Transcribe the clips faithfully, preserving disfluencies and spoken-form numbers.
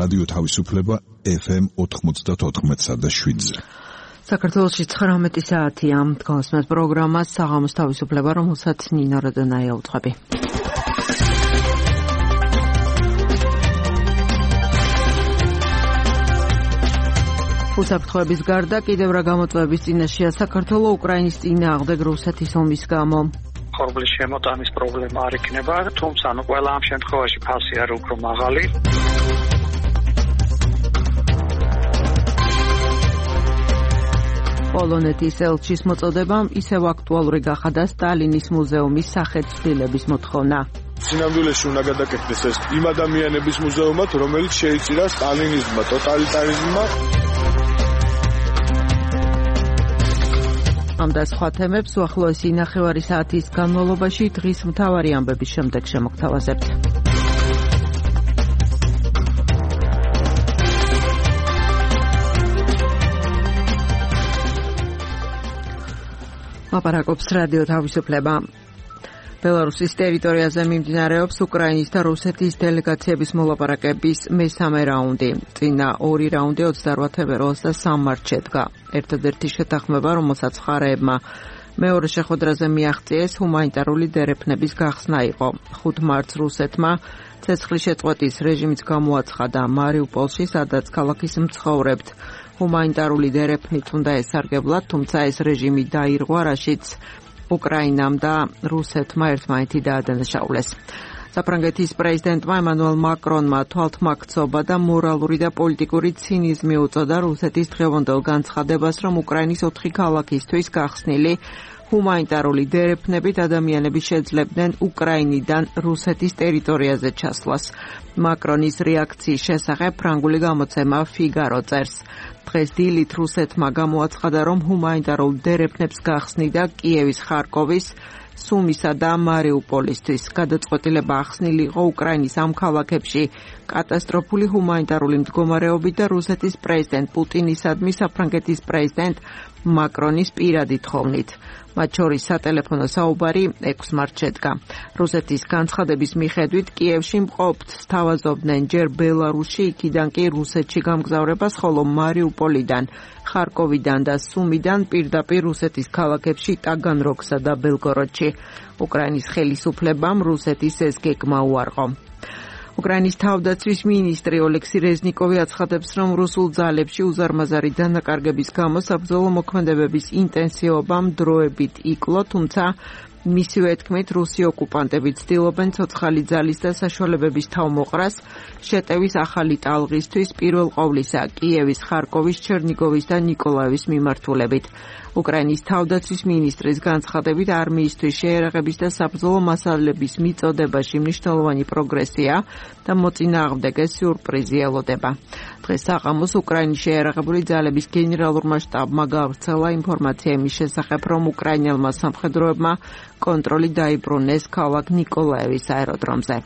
რადიო თავისუფლება ეფ ემ ოთხმოცდაოთხ და შვიდზე. საქართველოში ცხრამეტი საათია. დგომასმეთ პროგრამას საღამოს თავისუფლება, რომელსაც ნინო როდონაია უძღვები. უსაფრთხოების გარდა კიდევ რა გამოწვევების წინაშეა საქართველო უკრაინის წინააღმდეგ რუსეთის ომის გამო. ხორბლის შემოტანის პრობლემა არ იქნება, თუმცა ნუ ყველა ამ შემთხვევაში ფასი არის უფრო მაღალი. პოლონეთის ელჩის მოწოდებამ ისევ აქტუალური გახადა სტალინის მუზეუმის სახელმწიფოების მოთხოვნა. სინამდვილეში უნდა გადაკეთდეს ეს იმ ადამიანების მუზეუმად, რომელიც შეიწირა სტალინიზმმა, ტოტალიტარიზმმა. ამ და სხვა თემებს უახლოესი ნახევარი საათის განმავლობაში დღის მთავარი ამბების შემდეგ შემოგთავაზებთ. ლაპარაკობს რადიო თავისუფლება. ბელარუსის ტერიტორიაზე მიმდინარეობს უკრაინის და რუსეთის დელეგაციების მოლაპარაკების მესამე რაუნდი. წინა ორი რაუნდი ოცდაოთხ თებერვალს და სამი მარტს შედგა. ერთადერთი შეთანხმება, რომელსაც მხარეებმა მეორე შეხვედრაზე მიაღწიეს, ჰუმანიტარული დერეფნების გახსნა იყო. ხუთ მარტს რუსეთმა ცეცხლის შეწყვეტის რეჟიმიც გამოაცხადა მარიუპოლში, სადაც ქალაქის მცხოვრებთ ჰუმანიტარული დერეფნით უნდა ესარგებლათ, თუმცა ეს რეჟიმი დაირღვა, რაშიც უკრაინამ და რუსეთმა ერთმანეთი დაადანაშაულეს. საფრანგეთის პრეზიდენტმა ემანუელ მაკრონმა თვალთმაქცობა და მორალური და პოლიტიკური ცინიზმი უწოდა რუსეთის დღევანდელ განცხადებას, რომ უკრაინის ოთხი ქალაქისთვის გახსნილი ჰუმანიტარული დერეფნებით ადამიანები შეძლებდნენ უკრაინიდან რუსეთის ტერიტორიაზე ჩასვლას. მაკრონის რეაქციის შესახებ ფრანგული გამოცემა ფიგარო წერს. დღეს დილით რუსეთმა გამოაცხადა, რომ ჰუმანიტარულ დერეფნებს გახსნიდა კიევის, ხარკოვის, სუმისა და მარიუპოლისთვის. გადაწყვეტილება ახსნილი იყო უკრაინის ამ ქალაქებში კატასტროფული ჰუმანიტარული მდგომარეობით და რუსეთის პრეზიდენტ პუტინისადმი საფრანგეთის პრეზიდენტ მაკრონის პირადი თხოვნით. მათ შორის სატელეფონო საუბარი ექვსი მარტს შედგა. რუსეთის განცხადების მიხედვით კიევში მყოფთ სთავაზობდნენ ჯერ ბელარუსში, იქიდან კი რუსეთში გამგზავრებას, ხოლო მარიუპოლიდან, ხარკოვიდან და სუმიდან პირდაპირ რუსეთის ქალაქებში ტაგანროგსა და ბელგოროდში. უკრაინის ხელისუფლებამ რუსეთის ეს გეგმა უარყო. უკრაინის თავდაცვის მინისტრი ოლექსი რეზნიკოვი აცხადებს, რომ რუსულ ძალებში უზარმაზარი დანაკარგების გამო საბრძოლო მოქმედებების ინტენსივობამ დროებით იკლო, თუმცა მისივე თქმით რუსი ოკუპანტები ცდილობენ ცოცხალი ძალის და საშუალებების თავმოყრას შეტევის ახალი ტალღისთვის, პირველ ყოვლისა კიევის, ხარკოვის, ჩერნიგოვის და ნიკოლაევის მიმართულებით. უკრაინის თავდაცვის მინისტრის განცხადებით არმიისთვის შეერაღების და საბრძოლო მასალების მიწოდებაში მნიშვნელოვანი პროგრესია და მოწინააღმდეგე სიურპრიზი ელოდება. დღეს საღამოს უკრაინის შეერაღებული ძალების გენერალურმა შტაბმა გავრცელა ინფორმაცია იმის შესახებ, რომ უკრაინელმა სამხედროებმა კონტროლი დაიბრუნეს ქალაქ ნიკოლაევის აეროდრომზე.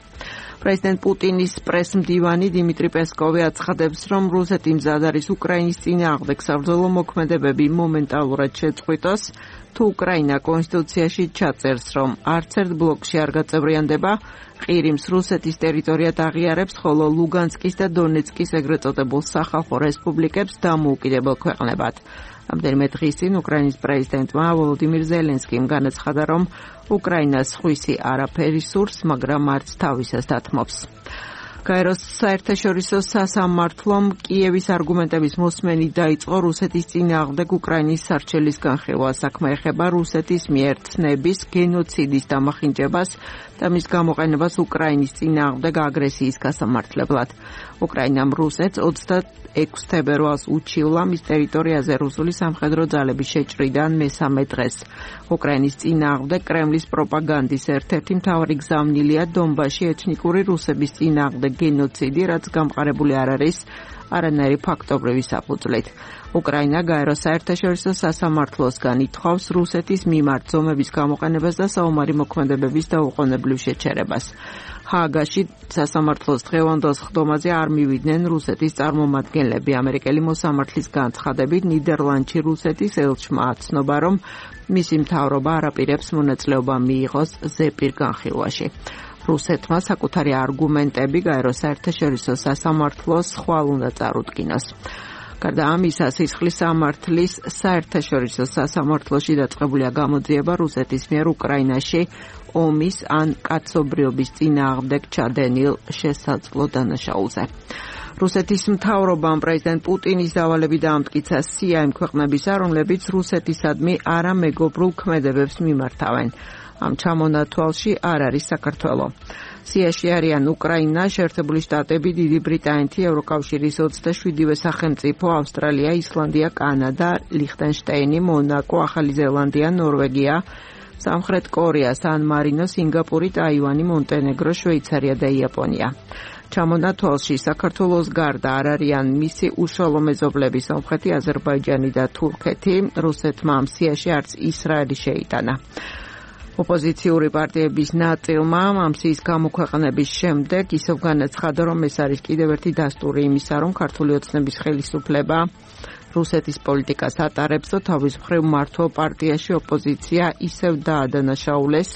პრეზიდენტ პუტინის პრესმდივანი დიმიტრი პესკოვი აცხადებს, რომ რუსეთი მზად არის უკრაინის წინააღმდეგ საბრძოლო მოქმედებები მომენტალურად შეწყვიტოს, თუ უკრაინა კონსტიტუციაში ჩაწერს, რომ არც ერთ ბლოკში არ გაწევრიანდება, ყირიმს რუსეთის ტერიტორიად აღიარებს, ხოლო ლუგანსკის და დონეცკის ეგრეთ წოდებულ სახალხო რესპუბლიკებს დამოუკიდებელ ქვეყნებად. ამდენიმე დღის წინ უკრაინის პრეზიდენტმა ვოლოდიმირ ზელენსკიმ განაცხადა, რომ უკრაინას სხვისი არაფერი სურს, მაგრამ არც თავისას დათმობს. გაეროს საერთაშორისო სასამართლომ კიევის არგუმენტების მოსმენით დაიწყო რუსეთის წინააღმდეგ უკრაინის სარჩელის განხილვა. საქმე ეხება რუსეთის მიერ ცნების, გენოციდის დამახინჯებას და მის გამოყენებას უკრაინის წინააღმდეგ აგრესიის გასამართლებლად. უკრაინამ რუსეთს ოცდაექვსი თებერვალს უჩივლა მის ტერიტორიაზე რუსული სამხედრო ძალების შეჭრიდან მესამე დღეს. უკრაინის წინააღმდეგ კრემლის პროპაგანდის ერთ-ერთი მთავარი გზავნილია დონბასში ეთნიკური რუსების წინააღმდეგ გენოციდი, რაც გამყარებული არ არის არანაირი ფაქტობრივი საფუძვლით. უკრაინა გაეროს საერთაშორისო სასამართლოსგან ითხოვს რუსეთის მიმართ ზომების გამოყენებას და საომარი მოქმედებების დაუყოვნებლივ შეჩერებას. ჰააგაში სასამართლოს დღევანდელ სხდომაზე არ მივიდნენ რუსეთის წარმომადგენლები. ამერიკელი მოსამართლის განცხადებით ნიდერლანდში რუსეთის ელჩმა აცნობა, რომ მისი მთავრობა არ აპირებს მონაწილეობა მიიღოს ზეპირ განხილვაში. რუსეთმა საკუთარი არგუმენტები გაერო საერთაშორისო სასამართლოს ხვალ უნდა წარუდგინოს. გარდა ამისა, სისხლის სამართლის საერთაშორისო სასამართლოში დაწყებულია გამოძიება რუსეთის მიერ უკრაინაში ომის ან კაცობრიობის წინააღმდეგ ჩადენილ შესაძლო დანაშაულზე. რუსეთის მთავრობამ პრეზიდენტ პუტინის დავალები დაამტკიცა სია იმ ქვეყნებისა, რომლებიც რუსეთისადმი არამეგობრულ ქმედებებს მიმართავენ. ამ ჩამონათვალში არ არის საქართველო. სიაში არიან უკრაინა, შეერთებული შტატები, დიდი ბრიტანეთი, ევროკავშირის ოცდაშვიდივე სახელმწიფო, ავსტრალია, ისლანდია, კანადა, ლიხტენშტეინი, მონაკო, ახალი ზელანდია, ნორვეგია, სამხრეთ კორეა, სან-მარინო, სინგაპური, ტაივანი, მონტენეგრო, შვეიცარია და იაპონია. ჩამონათვალში საქართველოს გარდა არ არიან მისი უშუალო მეზობლები სომხეთი, აზერბაიჯანი და თურქეთი. რუსეთმა ამ სიაში არც ისრაელი შეიტანა. ოპოზიციური პარტიების ნაწილმა ამ სიის გამოქვეყნების შემდეგ ისევ განაცხადა, რომ ეს არის კიდევ ერთი დასტური იმისა, რომ ქართული ოცნების ხელისუფლება რუსეთის პოლიტიკას ატარებს და თავის მხრივ მმართველ პარტიაში ოპოზიცია ისევ დაადანაშაულეს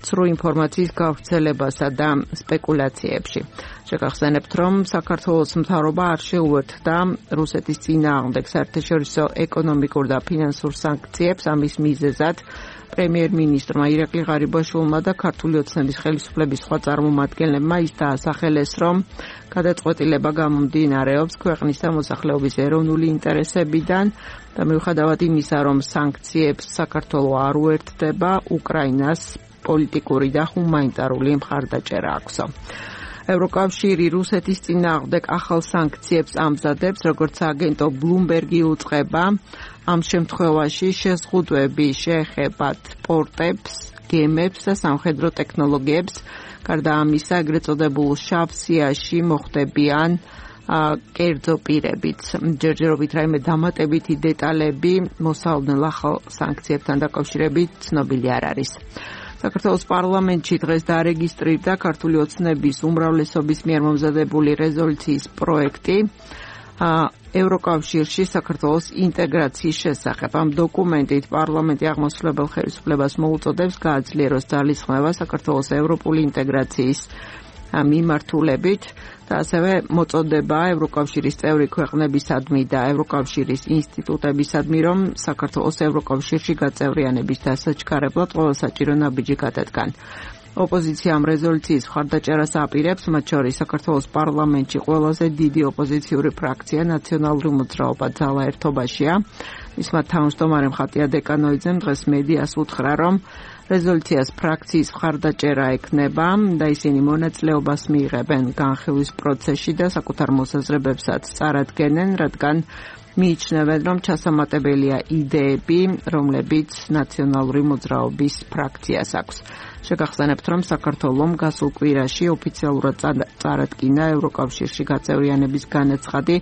ცრუ ინფორმაციის გავრცელებასა და სპეკულაციებში. შეგახსენებთ, რომ საქართველოს მთავრობა არ შეუერთდა რუსეთის წინააღმდეგ საერთაშორისო ეკონომიკურ და ფინანსურ სანქციებს. ამის მიზეზად პრემიერ-მინისტრმა ირაკლი ღარიბაშვილმა და ქართული ოცნების ხელისუფლების სხვა წარმომადგენლებმა ის დაასახელეს, რომ გადაწყვეტილება გამომდინარეობს ქვეყნის და მოსახლეობის ეროვნული ინტერესებიდან და მიუხედავად იმისა, რომ სანქციებს საქართველო არ უერთდება, უკრაინას პოლიტიკური და ჰუმანიტარული მხარდაჭერა აქვსო. ევროკავშირი რუსეთის წინააღმდეგ ახალ სანქციებს ამზადებს, როგორც აგენტო ბლუმბერგი უწყება. ამ შემთხვევაში შეზღუდვები შეეხებათ პორტებს, გემებს და სამხედრო ტექნოლოგიებს. გარდა ამისა, ეგრეთ წოდებულ შავ სიაში მოხდებიან კერძო პირებიც. ჯერჯერობით რაიმე დამატებითი დეტალები მოსალოდნელ ახალ სანქციებთან დაკავშირებით ცნობილი არ არის. საქართველოს პარლამენტში დღეს დარეგისტრირდა ქართული ოცნების უმრავლესობის მიერ მომზადებული რეზოლუციის პროექტი ევროკავშირში საქართველოს ინტეგრაციის შესახებ. ამ დოკუმენტით პარლამენტი აღმასრულებელ ხელისუფლებას მოუწოდებს გააძლიეროს ძალისხმევა საქართველოს ევროპული ინტეგრაციის მიმართულებით და ასევე მოწოდება ევროკავშირის წევრი ქვეყნებისადმი და ევროკავშირის ინსტიტუტებისადმი, რომ საქართველოს ევროკავშირში გაწევრიანების დასაჩქარებლად ყველა საჭირო ნაბიჯი გადადგან. ოპოზიცია ამ რეზოლუციის მხარდაჭერას აპირებს, მათ შორის საქართველოს პარლამენტში ყველაზე დიდი ოპოზიციური ფრაქცია ნაციონალური მოძრაობა ძალა ერთობაშია. მისმა თავმჯდომარემ ხატია დეკანოიძემ დღეს მედიას უთხრა, რომ რეზოლუციას ფრაქციის მხარდაჭერა ექნება და ისინი მონაწილეობას მიიღებენ განხილვის პროცესში და საკუთარ მოსაზრებებსაც წარადგენენ, რადგან მიიჩნევენ, რომ ჩასამატებელია იდეები, რომლებიც ნაციონალური მოძრაობის ფრაქციას აქვს. შეგახსენებთ, რომ საქართველომ გასულ კვირაში ოფიციალურად წარადგინა ევროკავშირში გაწევრიანების განაცხადი,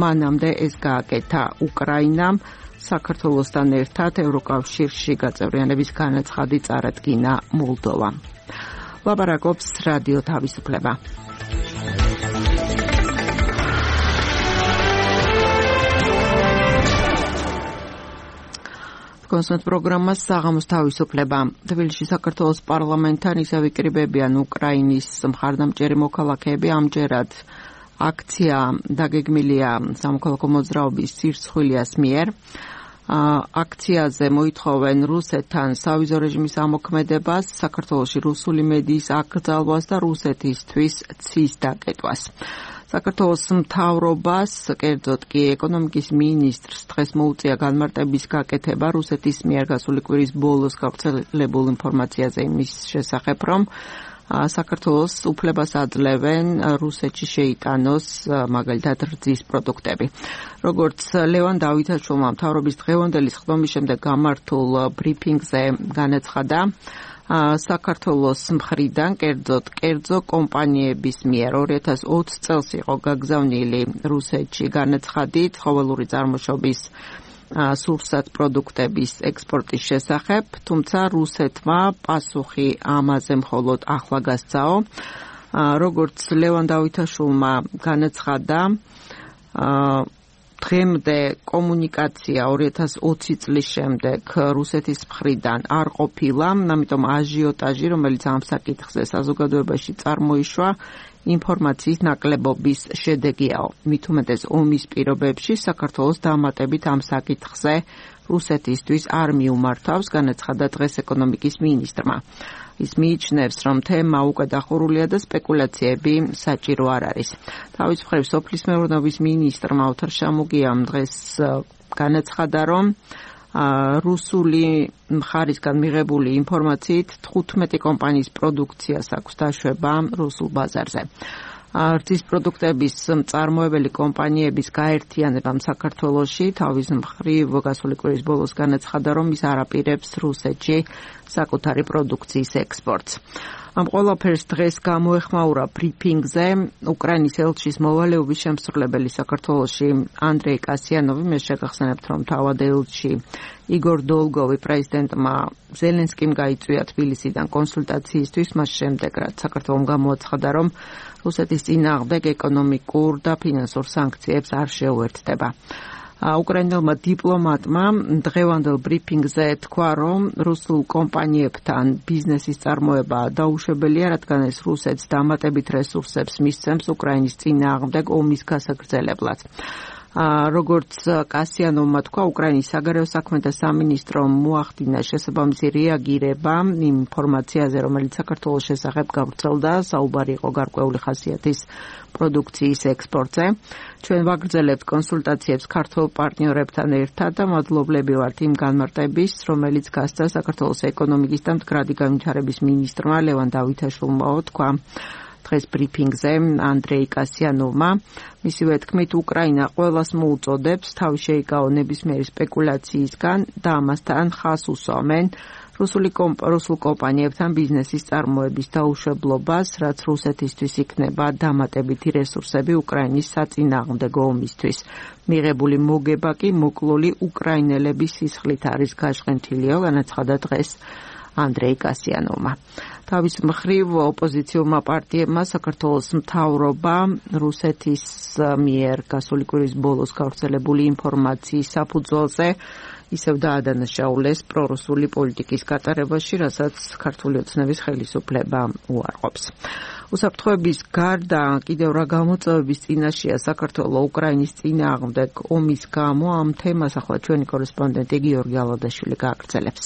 მანამდე ეს გააკეთა უკრაინამ. საქართველოსთან ერთად ევროკავშირში გაწევრიანების განაცხადი წარადგინა მოლდოვამ. ლაპარაკობს რადიო თავისუფლება. კონსულტ პროგრამას საღამოს თავისუფლება. თბილისში საქართველოს პარლამენტთან ისევ იკრიბებიან უკრაინის მხარდამჭერი მოქალაქეები. ამჯერად აქცია დაგეგმილია სამოქალაქო მოძრაობის სირცხვილიას მიერ. აქციაზე მოითხოვენ რუსეთთან სავიზო რეჟიმის ამოქმედებას, საქართველოში რუსული მედიის აკრძალვას და რუსეთისთვის ცის დაკეტვას. საქართველოს მთავრობას, კერძოდ კი ეკონომიკის მინისტრს დღეს მოუწია განმარტების გაკეთება რუსეთის მიერ გასული კვირის ბოლოს გავრცელებულ ინფორმაციაზე იმის შესახებ, რომ საქართველოს უფლებას აძლევენ რუსეთში შეიტანოს მაგალითად რძის პროდუქტები. როგორც ლევან დავითაშვილმა მთავრობის დღევანდელი სხდომის შემდეგ გამართულ ბრიფინგზე განაცხადა, საქართველოს მხრიდან კერძოდ კერძო კომპანიების მიერ ორი ათას ოცი წელს იყო გაგზავნილი რუსეთში განაცხადი ცხოველური წარმოშობის სურსათ პროდუქტების ექსპორტის შესახებ, თუმცა რუსეთმა პასუხი ამაზე მხოლოდ ახლა გასცაო. როგორც ლევან დავითაშვილმა განაცხადა, დღემდე კომუნიკაცია ორი ათას ოცი წლის შემდეგ რუსეთის მხრიდან არ ყოფილა, ამიტომ აჟიოტაჟი, რომელიც ამ საკითხზე საზოგადოებაში წარმოიშვა, ინფორმაციის ნაკლებობის შედეგიაო. მით უმეტეს ომის პირობებში საქართველოს დამატებით ამ საკითხზე რუსეთისთვის არ მიუმართავს, განაცხადა დღეს ეკონომიკის მინისტრმა. ის მიიჩნევს, რომ თემა უკვე დახურულია და სპეკულაციები საჭირო არ არის. თავის მხრივ სოფლის მეურნეობის მინისტრმა ოთარ შამუგიამ დღეს განაცხადა, რომ რუსული მხარისგან მიღებული ინფორმაციით თხუთმეტი კომპანიის პროდუქციას აქვს დაშვება რუსულ ბაზარზე. რძის პროდუქტების მწარმოებელი კომპანიების გაერთიანებამ საქართველოში თავის მხრივ გასული კვირის ბოლოს განაცხადა, რომ ის არ აპირებს რუსეთში საკუთარი პროდუქციის ექსპორტს. ამ ყველაფერს დღეს გამოეხმაურა ბრიფინგზე უკრაინის ელჩის მოვალეობის შემსრულებელი საქართველოში ანდრეი კასიანოვი. მე შეგახსენებთ, რომ თავად ელჩი იგორ დოლგოვი პრეზიდენტმა ზელენსკიმ გაიწვია თბილისიდან კონსულტაციისთვის, მას შემდეგ რაც საქართველომ გამოაცხადა, რომ რუსეთის წინააღმდეგ ეკონომიკურ და ფინანსურ სანქციებს არ შეუერთდება. უკრაინელმა დიპლომატმა დღევანდელ ბრიფინგზე თქვა, რომ რუსულ კომპანიებთან ბიზნესის წარმოება დაუშვებელია, რადგან ეს რუსეთს დამატებით რესურსებს მისცემს უკრაინის წინააღმდეგ ომის გასაგრძელებლად. როგორც კასიანოვმა თქვა, უკრაინის საგარეო საქმეთა სამინისტრომ მოახდინა შესაბამისი რეაგირება იმ ინფორმაციაზე, რომელიც საქართველოს შესახებ გავრცელდა, საუბარი იყო გარკვეული ხასიათის პროდუქციის ექსპორტზე. ჩვენ ვაგრძელებთ კონსულტაციებს ქართულ პარტნიორებთან ერთად და მადლობლები ვართ იმ განმარტების, რომელიც გასცა საქართველოს ეკონომიკის და მდგრადი განვითარების მინისტრმა ლევან დავითაშვილმა, თქვა დღეს ბრიფინგზე ანდრეი კასიანოვმა. მისივე თქმით, უკრაინა ყველას მოუწოდებს თავი შეიკავო ნებისმიერი სპეკულაციისგან და ამასთან ხაზს უსვამენ რუსული რუსულ კომპანიებთან ბიზნესის წარმოების დაუშვებლობას, რაც რუსეთისთვის იქნება დამატებითი რესურსები უკრაინის საწინააღმდეგო ომისთვის. მიღებული მოგება კი მოკლული უკრაინელების სისხლით არის გაშღენთილიო, განაცხადა დღეს ანდრეი კასიანოვმა. თავის მხრივ ოპოზიციურმა პარტიებმა საქართველოს მთავრობა რუსეთის მიერ გასული კვირის ბოლოს გავრცელებული ინფორმაციის საფუძველზე ისევ დაადანაშაულეს პრორუსული პოლიტიკის გატარებაში, რასაც ქართული ოცნების ხელისუფლება უარყოფს. უსაფრთხოების გარდა კიდევ რა გამოწვევების წინაშეა საქართველო უკრაინის წინააღმდეგ ომის გამო, ამ თემას ახლა ჩვენი კორესპონდენტი გიორგი ალადაშვილი გააგრძელებს.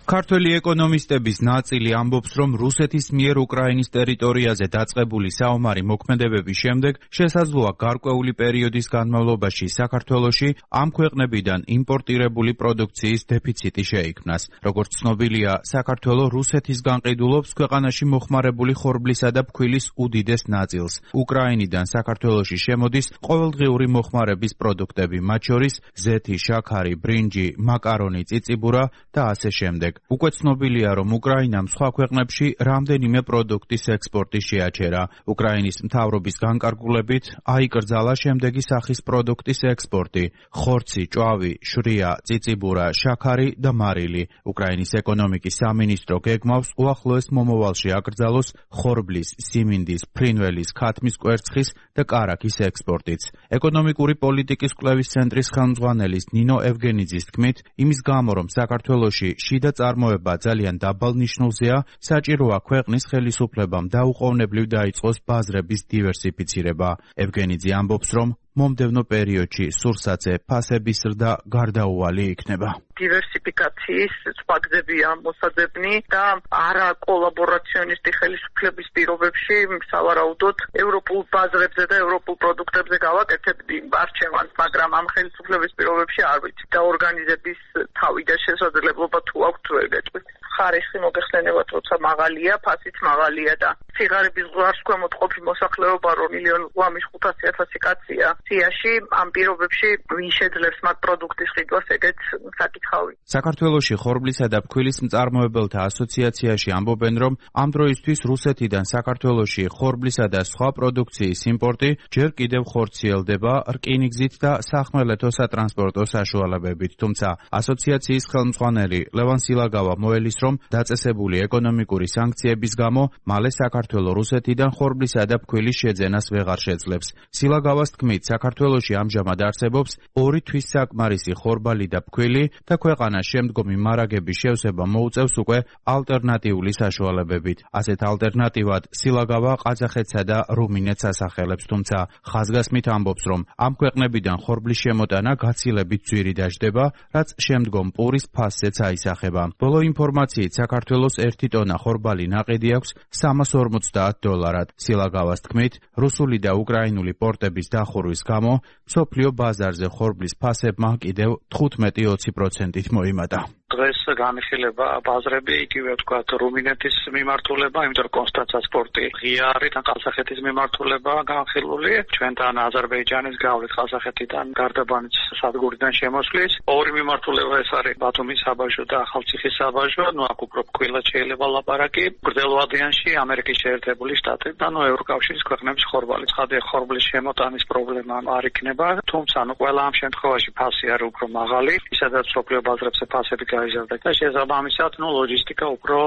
ქართველი ეკონომისტების ნაწილი ამბობს, რომ რუსეთის მიერ უკრაინის ტერიტორიაზე დაწყებული საომარი მოქმედებების შემდეგ შესაძლოა გარკვეული პერიოდის განმავლობაში საქართველოში ამ ქვეყნებიდან იმპორტირებული პროდუქციის დეფიციტი შეიქმნას. როგორც ცნობილია, საქართველო რუსეთის განყიდულობს ქვეყანაში მოხმარებული ხორბლისა და ფქვილის უდიდეს ნაწილს. უკრაინიდან საქართველოში შემოდის ყოველდღიური მოხმარების პროდუქტები, მათ შორის ზეთი, შაქარი, ბრინჯი, მაკარონი, წიწიბურა და ასე შემდეგ. უკვე ცნობილია, რომ უკრაინამ სხვა ქვეყნებში რამდენიმე პროდუქტის ექსპორტი შეაჩერა. უკრაინის მთავრობის განკარგულებით აიკრძალა შემდეგი სახის პროდუქტის ექსპორტი: ხორცი, ჭვავი, შვრია, წიწიბურა, შაქარი და მარილი. უკრაინის ეკონომიკის სამინისტრო გეგმავს უახლოეს მომავალში აკრძალოს ხორბლის, სიმინდის, ფრინველის, ქათმის კვერცხის და კარაქის ექსპორტიც. ეკონომიკური პოლიტიკის კვლევის ცენტრის ხელმძღვანელის ნინო ევგენიძის თქმით, იმის გამო, რომ საქართველოში შიდა წარმოება ძალიან დაბალ ნიშნულზეა, საჭიროა ქვეყნის ხელისუფლებამ დაუყოვნებლივ დაიწყოს ბაზრების დივერსიფიცირება. ევგენიძე ამბობს, რომ მომდევნო პერიოდში სურსათზე ფასების ზრდა გარდაუვალი იქნება. დივერსიფიკაციის სხვა გზებია მოსაძებნი და არა კოლაბორაციონისტი ხელისუფლების პირობებში სავარაუდოდ ევროპულ ბაზრებზე და ევროპულ პროდუქტებზე გავაკეთებდი არჩევანს, მაგრამ ამ ხელისუფლების პირობებში არ ვიცი და ორგანიზების თავი და შესაძლებლობა თუ აქვს თუ ეგ ეტყვის. ხარისხი მოგეხსენებათ, როცა მაღალია, ფასიც მაღალია და სიღარიბის ზღვარს ქვემოთ ყოფი მოსახლეობა რო მილიონ ογδόντα ხუთასი ათასი კაცია სიაში, ამ პირობებში ვინ შეძლებს მათ პროდუქტის ყიდვას, ეგეც საკითხავი. საქართველოში ხორბლისა და ფქვილის მწარმოებელთა ასოციაციაში ამბობენ, რომ ამ დროისთვის რუსეთიდან საქართველოში ხორბლისა და სხვა პროდუქციის იმპორტი ჯერ კიდევ ხორციელდება რკინიგზით და სახმელეთო სატრანსპორტო საშუალებებით, თუმცა ასოციაციის ხელმძღვანელი ლევან სილაგავა მოელის, რომ დაწესებული ეკონომიკური სანქციების გამო მალე საქართველოს საქართველო რუსეთიდან ხორბლისა და ფქვილის შეძენას ვეღარ შეძლებს. სილაგავას თქმით, საქართველოში ამჟამად არსებობს ორი თვის საკმარისი ხორბალი და ფქვილი და ქვეყანას შემდგომი მარაგების შევსება მოუწევს უკვე ალტერნატიული საშუალებებით. ასეთ ალტერნატივად სილაგავა ყაზახეთსა და რუმინეთს ასახელებს, თუმცა ხაზგასმით ამბობს, რომ ამ ქვეყნებიდან ხორბლის შემოტანა გაცილებით ძვირი დაждდება, რაც შემდგომ პურის ფასზეც აისახება. ბოლო ინფორმაციით საქართველოს ერთი ტონა ხორბალი ნაყიდი აქვს სამას ორმოცდაათ დოლარად. სილაგავას თქმით, რუსული და უკრაინული პორტების დახურვის გამო მსოფლიო ბაზარზე ხორბლის ფასებმა კიდევ თხუთმეტი ოცი პროცენტით მოიმატა. დღეს განიხილება ბაზრები, იგივე ვთქვათ, რუმინეთის მიმართულება, იმიტომ რომ კონსტანცას პორტი ღია არის და ყაზახეთის მიმართულება განხილული. ჩვენთან აზერბაიჯანის გავლით ყაზახეთიდან გარდაბანის სადგურიდან შემოსვლის. ორი მიმართულება ეს არის ბათუმის საბაჟო და ახალციხის საბაჟო, ნუ აქ უფრო ფქვილად შეიძლება ლაპარაკი. გრძელვადიანში ამერიკის შეერთებული შტატები და ნუ ევროკავშირის ქვეყნების ხორბალი. ცხადია, ხორბლის შემოტანის პრობლემა არ იქნება, თუმცა ნუ ყველა ამ შემთხვევაში ფასი არის უფრო მაღალი, ისედაც მსოფლიო ბაზრებზე ფასები გაიზარდა და შესაბამისად, ნუ ლოჯისტიკა უფრო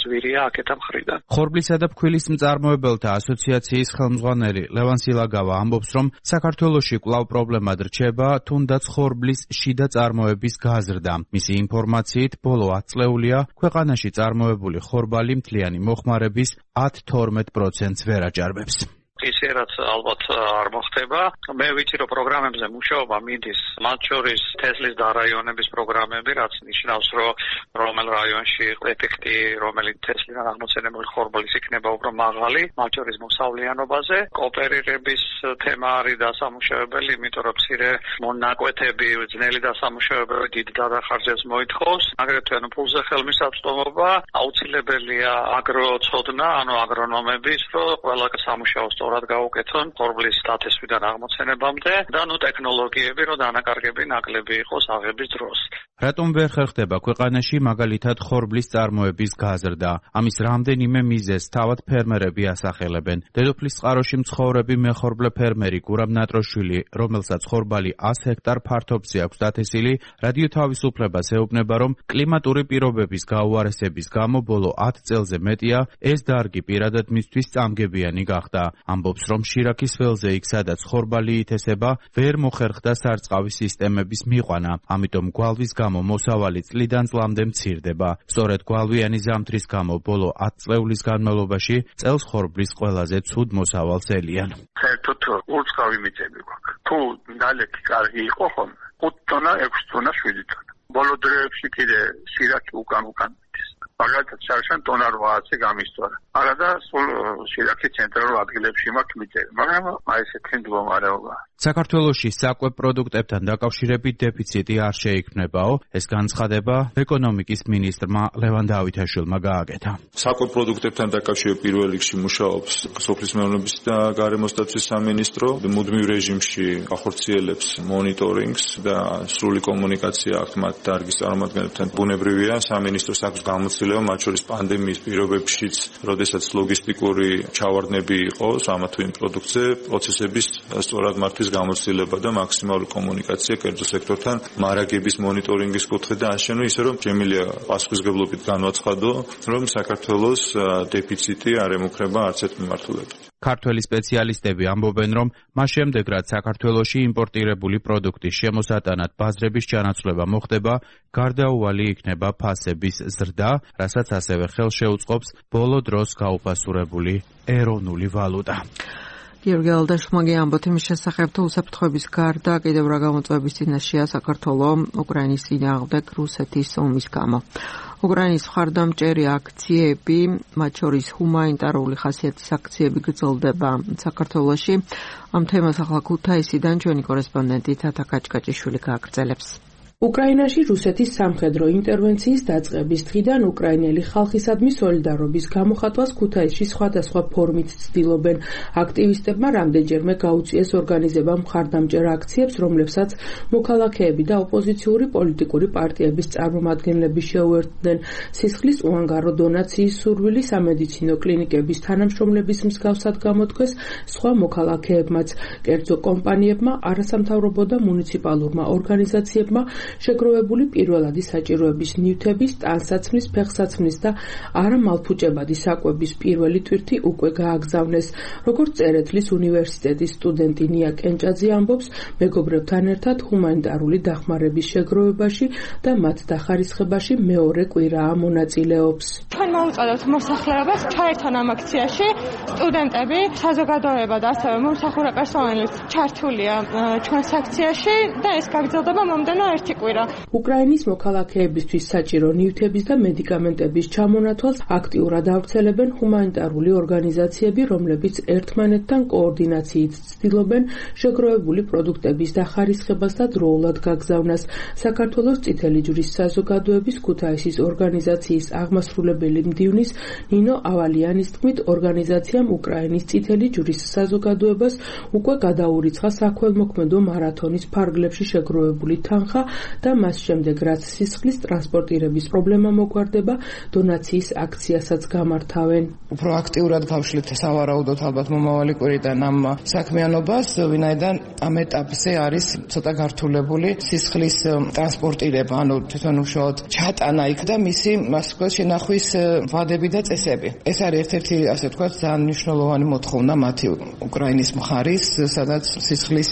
ძვირია აქეთა მხრიდან. ხორბლისა და ფქვილის მწარმოებელთა ასოციაციის ხელმძღვანელი ლევან სილაგავა ამბობს, რომ საქართველოში კვლავ პრობლემად რჩება თუნდაც ხორბლის შიდა წარმოების გაზრდა. მისი ინფორმაციით, ბოლო ათ წლეულია ქვეყანაში წარმოებული ხორბალი მთლიანი მოხმარების ათ თორმეტ პროცენტს ვერ აჭარბებს. ისე რაც ალბათ არ მოხდება. მე ვიცი, რომ პროგრამებზე მუშაობა მიდის, მათ შორის თესლის და რაიონების პროგრამები, რაც ნიშნავს, რომ რომელ რაიონში ეფექტი, რომელი თესლიდან აღმოცენებული ხორბლის იქნება უფრო მაღალი, მათ შორის მოსავლიანობაზე. კოოპერირების თემა არის დასამუშავებელი, იმიტომ რომ მცირე მონაკვეთები, ძნელი დასამუშავებელი დიდ დახარჯებს მოითხოვს. აგრეთვე ფულზე ხელმისაწვდომობა, აუცილებელია აგროცოდნა, ანუ აგრონომების, რომ ყველა სამუშაოს სწორად გაუკეთონ ხორბლის დათესვიდან აღმოცენებამდე და ნუ ტექნოლოგიები, რომ დანაკარგები ნაკლები იყოს აღების დროს. რატომ ვერ ხერხდება ქვეყანაში მაგალითად ხორბლის წარმოების გაზრდა? ამის რამდენიმე მიზეზს თავად ფერმერები ასახელებენ. დედოფლის წყაროში მცხოვრები მეხორბლე ფერმერი გურამ ნატროშვილი, რომელსაც ხორბალი ას ჰექტარ ფართობზე აქვს დათესილი, რადიო თავისუფლებას ეუბნება, რომ კლიმატური პირობების გაუარესების გამო ბოლო ათ წელზე მეტია ეს დარგი პირადად მისთვის წამგებიანი გახდა. ამბობს, რომ შირაქის ველზე იქ სადაც ხორბალი ითესება, ვერ მოხერხდა სარწყავი სისტემების მიყვანა, ამიტომ გვალვის გამო მოსავალი წლიდან წლამდე მცირდება. სწორედ გვალვიანი ზამთრის გამო ბოლო ათ წლეულის განმავლობაში წელს ხორბლის ყველაზე ცუდ მოსავალს ელიან. საერთოდ ურწყავი მიწები გვაქვს. თუ ნალექი კარგი იყო ხომ, ხუთ ტონა, ექვსი ტონა, შვიდი ტონა. ბოლო დროებში კიდე შირაქი უკან უკან მიდის. მაგალითად შარშან ტონა რვაათზე გამისწორა. არა და სულ შირაქი ცენტრალურ ადგილებში მაქვს მიწები, მაგრამ აი ესეთი მდგომარეობა. საქართველოში საკვებ პროდუქტებთან დაკავშირებით დეფიციტი არ შეიქმნებაო, ეს განცხადება ეკონომიკის მინისტრმა ლევან დავითაშვილმა გააკეთა. საკვებ პროდუქტებთან დაკავშირებით პირველ რიგში მუშაობს სოფლის მეურნეობის და გარემოსდაცვის სამინისტრო, მუდმივ რეჟიმში ახორციელებს მონიტორინგს და სრული კომუნიკაცია აქვს მათ დარგის წარმომადგენლებთან. ბუნებრივია, სამინისტროს აქვს გამოცდილება, მათ შორის პანდემიის პირობებშიც, როდესაც ლოგისტიკური ჩავარდნები იყოს ამა თუ იმ პროდუქტზე, პროცესების სწორად მართვის გამოცდილება და მაქსიმალური კომუნიკაცია კერძო სექტორთან, მარაგების მონიტორინგის კუთხე და აშენო, ისე რომ შემიძლია პასუხისმგებლობით განვაცხადო, რომ საქართველოს დეფიციტი არ ემუქრება არც ერთ მიმართულებით. ქართველი სპეციალისტები ამბობენ, რომ მას შემდეგ, რაც საქართველოში იმპორტირებული პროდუქტის შემოსატანად ბაზრების ჩანაცვლება მოხდება, გარდაუვალი იქნება ფასების ზრდა, რასაც ასევე ხელს შეუწყობს ბოლო დროს გაუფასურებული ეროვნული ვალუტა. გიორგი ალდაშმაგი ამბობთ იმის შესახებ, თუ უსაფრთხოების გარდა კიდევ რა გამოწვევების წინაშეა საქართველო უკრაინის წინააღმდეგ რუსეთის ომის გამო. უკრაინის მხარდამჭერი აქციები, მათ შორის ჰუმანიტარული ხასიათის აქციები გრძელდება საქართველოში. ამ თემას ახლა ქუთაისიდან ჩვენი კორესპონდენტი თათა კაჭკაჭიშვილი გააგრძელებს. უკრაინაში რუსეთის სამხედრო ინტერვენციის დაწყების დღიდან უკრაინელი ხალხისადმი სოლიდარობის გამოხატვას ქუთაისში სხვადასხვა ფორმით ცდილობენ. აქტივისტებმა რამდენჯერმე გაუწიეს ორგანიზებამ მხარდამჭერ აქციებს, რომლებსაც მოქალაქეები და ოპოზიციური პოლიტიკური პარტიების წარმომადგენლები შეუერთდნენ. სისხლის უანგარო დონაციის სურვილი სამედიცინო კლინიკების თანამშრომლების მსგავსად გამოთქვეს სხვა მოქალაქეებმაც. კერძო კომპანიებმა, არასამთავრობო და მუნიციპალურმა ორგანიზაციებმა შეგროვებული პირველადი საჭიროების ნივთების, ტანსაცმლის, ფეხსაცმლის და არამალფუჭებადი საკვების პირველი ტვირთი უკვე გააგზავნეს. როგორც წერეთლის უნივერსიტეტის სტუდენტი ნია კენჭაძე ამბობს, მეგობრებთან ერთად ჰუმანიტარული დახმარების შეგროვებაში და მათ დახარისხებაში მეორე კვირაა მონაწილეობს. ჩვენ მოუწოდებთ მოსახლეობას ჩაერთონ ამ აქციაში. სტუდენტები, საზოგადოება და ასევე მომსახურე პერსონალიც ჩართულია ჩვენს აქციაში და ეს გაგრძელდება მომდევნო ერთი კვირა. უკრაინის მოქალაქეებისთვის საჭირო ნივთების და მედიკამენტების ჩამონათვალს აქტიურად ავრცელებენ ჰუმანიტარული ორგანიზაციები, რომლებიც ერთმანეთთან კოორდინაციით ცდილობენ შეგროვებული პროდუქტების დახარისხებას და დროულად გაგზავნას. საქართველოს წითელი ჯვრის საზოგადოების ქუთაისის ორგანიზაციის აღმასრულებელი მდივნის ნინო ავალიანის თქმით, ორგანიზაციამ უკრაინის წითელი ჯვრის საზოგადოებას უკვე გადაურიცხა საქველმოქმედო მარათონის ფარგლებში შეგროვებული თანხა და მას შემდეგ, რაც სისხლის ტრანსპორტირების პრობლემა მოგვარდება, დონაციის აქციასაც გამართავენ. უფრო აქტიურად გავშლით სავარაუდოდ ალბათ მომავალი კვირიდან ამ საქმიანობას, ვინაიდან ამ ეტაპზე არის ცოტა გართულებული სისხლის ტრანსპორტირება, ანუ თვითონ უშუალოდ ჩატანა იქ და მისი ასე ვთქვათ შენახვის ვადები და წესები. ეს არის ერთ-ერთი ასე ვთქვათ ძალიან მნიშვნელოვანი მოთხოვნა მათი უკრაინის მხარის, სადაც სისხლის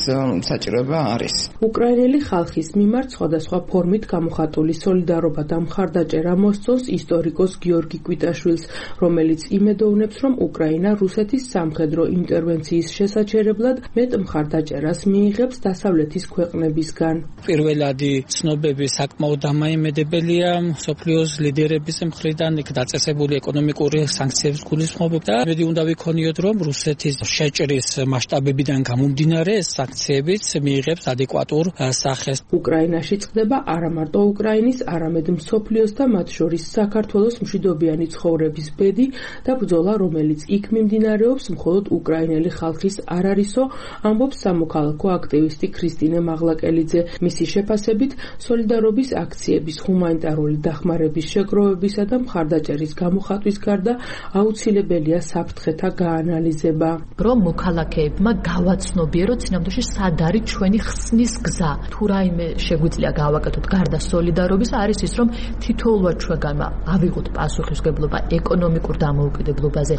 საჭიროება არის. უკრაინელი ხალხის მიმართ სხვადასხვა ფორმით გამოხატული სოლიდარობა და მხარდაჭერა მოსწონს ისტორიკოს გიორგი კვიტაშვილს, რომელიც იმედოვნებს, რომ უკრაინა რუსეთის სამხედრო ინტერვენციის შესაჩერებლად მეტ მხარდაჭერას მიიღებს დასავლეთის ქვეყნებისგან. პირველადი ცნობები საკმაოდ დამაიმედებელია მსოფლიოს ლიდერების მხრიდან, იქ დაწესებული ეკონომიკური სანქციების გულისხმობ და მედი უნდა ვიქონიოთ, რომ რუსეთის შეჭრის მასშტაბებიდან გამომდინარე ეს სანქციებიც მიიღებს ადეკვატურ სახეს. უკრაინაში წყდება არა მარტო უკრაინის, არამედ მსოფლიოს და მათ შორის საქართველოს მშვიდობიანი ცხოვრების ბედი და ბრძოლა, რომელიც იქ მიმდინარეობს, მხოლოდ უკრაინელი ხალხის არ არისო, ამბობს სამოქალაქო აქტივისტი ქრისტინე მაღლაკელიძე. მისი შეფასებით, სოლიდარობის აქციების, ჰუმანიტარული დახმარების შეგროვებისა და მხარდაჭერის გამოხატვის გარდა აუცილებელია საფრთხეთა გაანალიზება. რომ მოქალაქეებმა გავაცნობიეროთ სინამდვილეში სად არის ჩვენი ხსნის გზა. თუ რაიმე შეგვიძლია გავაკეთოთ გარდა სოლიდარობის, არის ის, რომ თითოეულად ჩვენგანმა ავიღოთ პასუხისმგებლობა ეკონომიკურ დამოუკიდებლობაზე,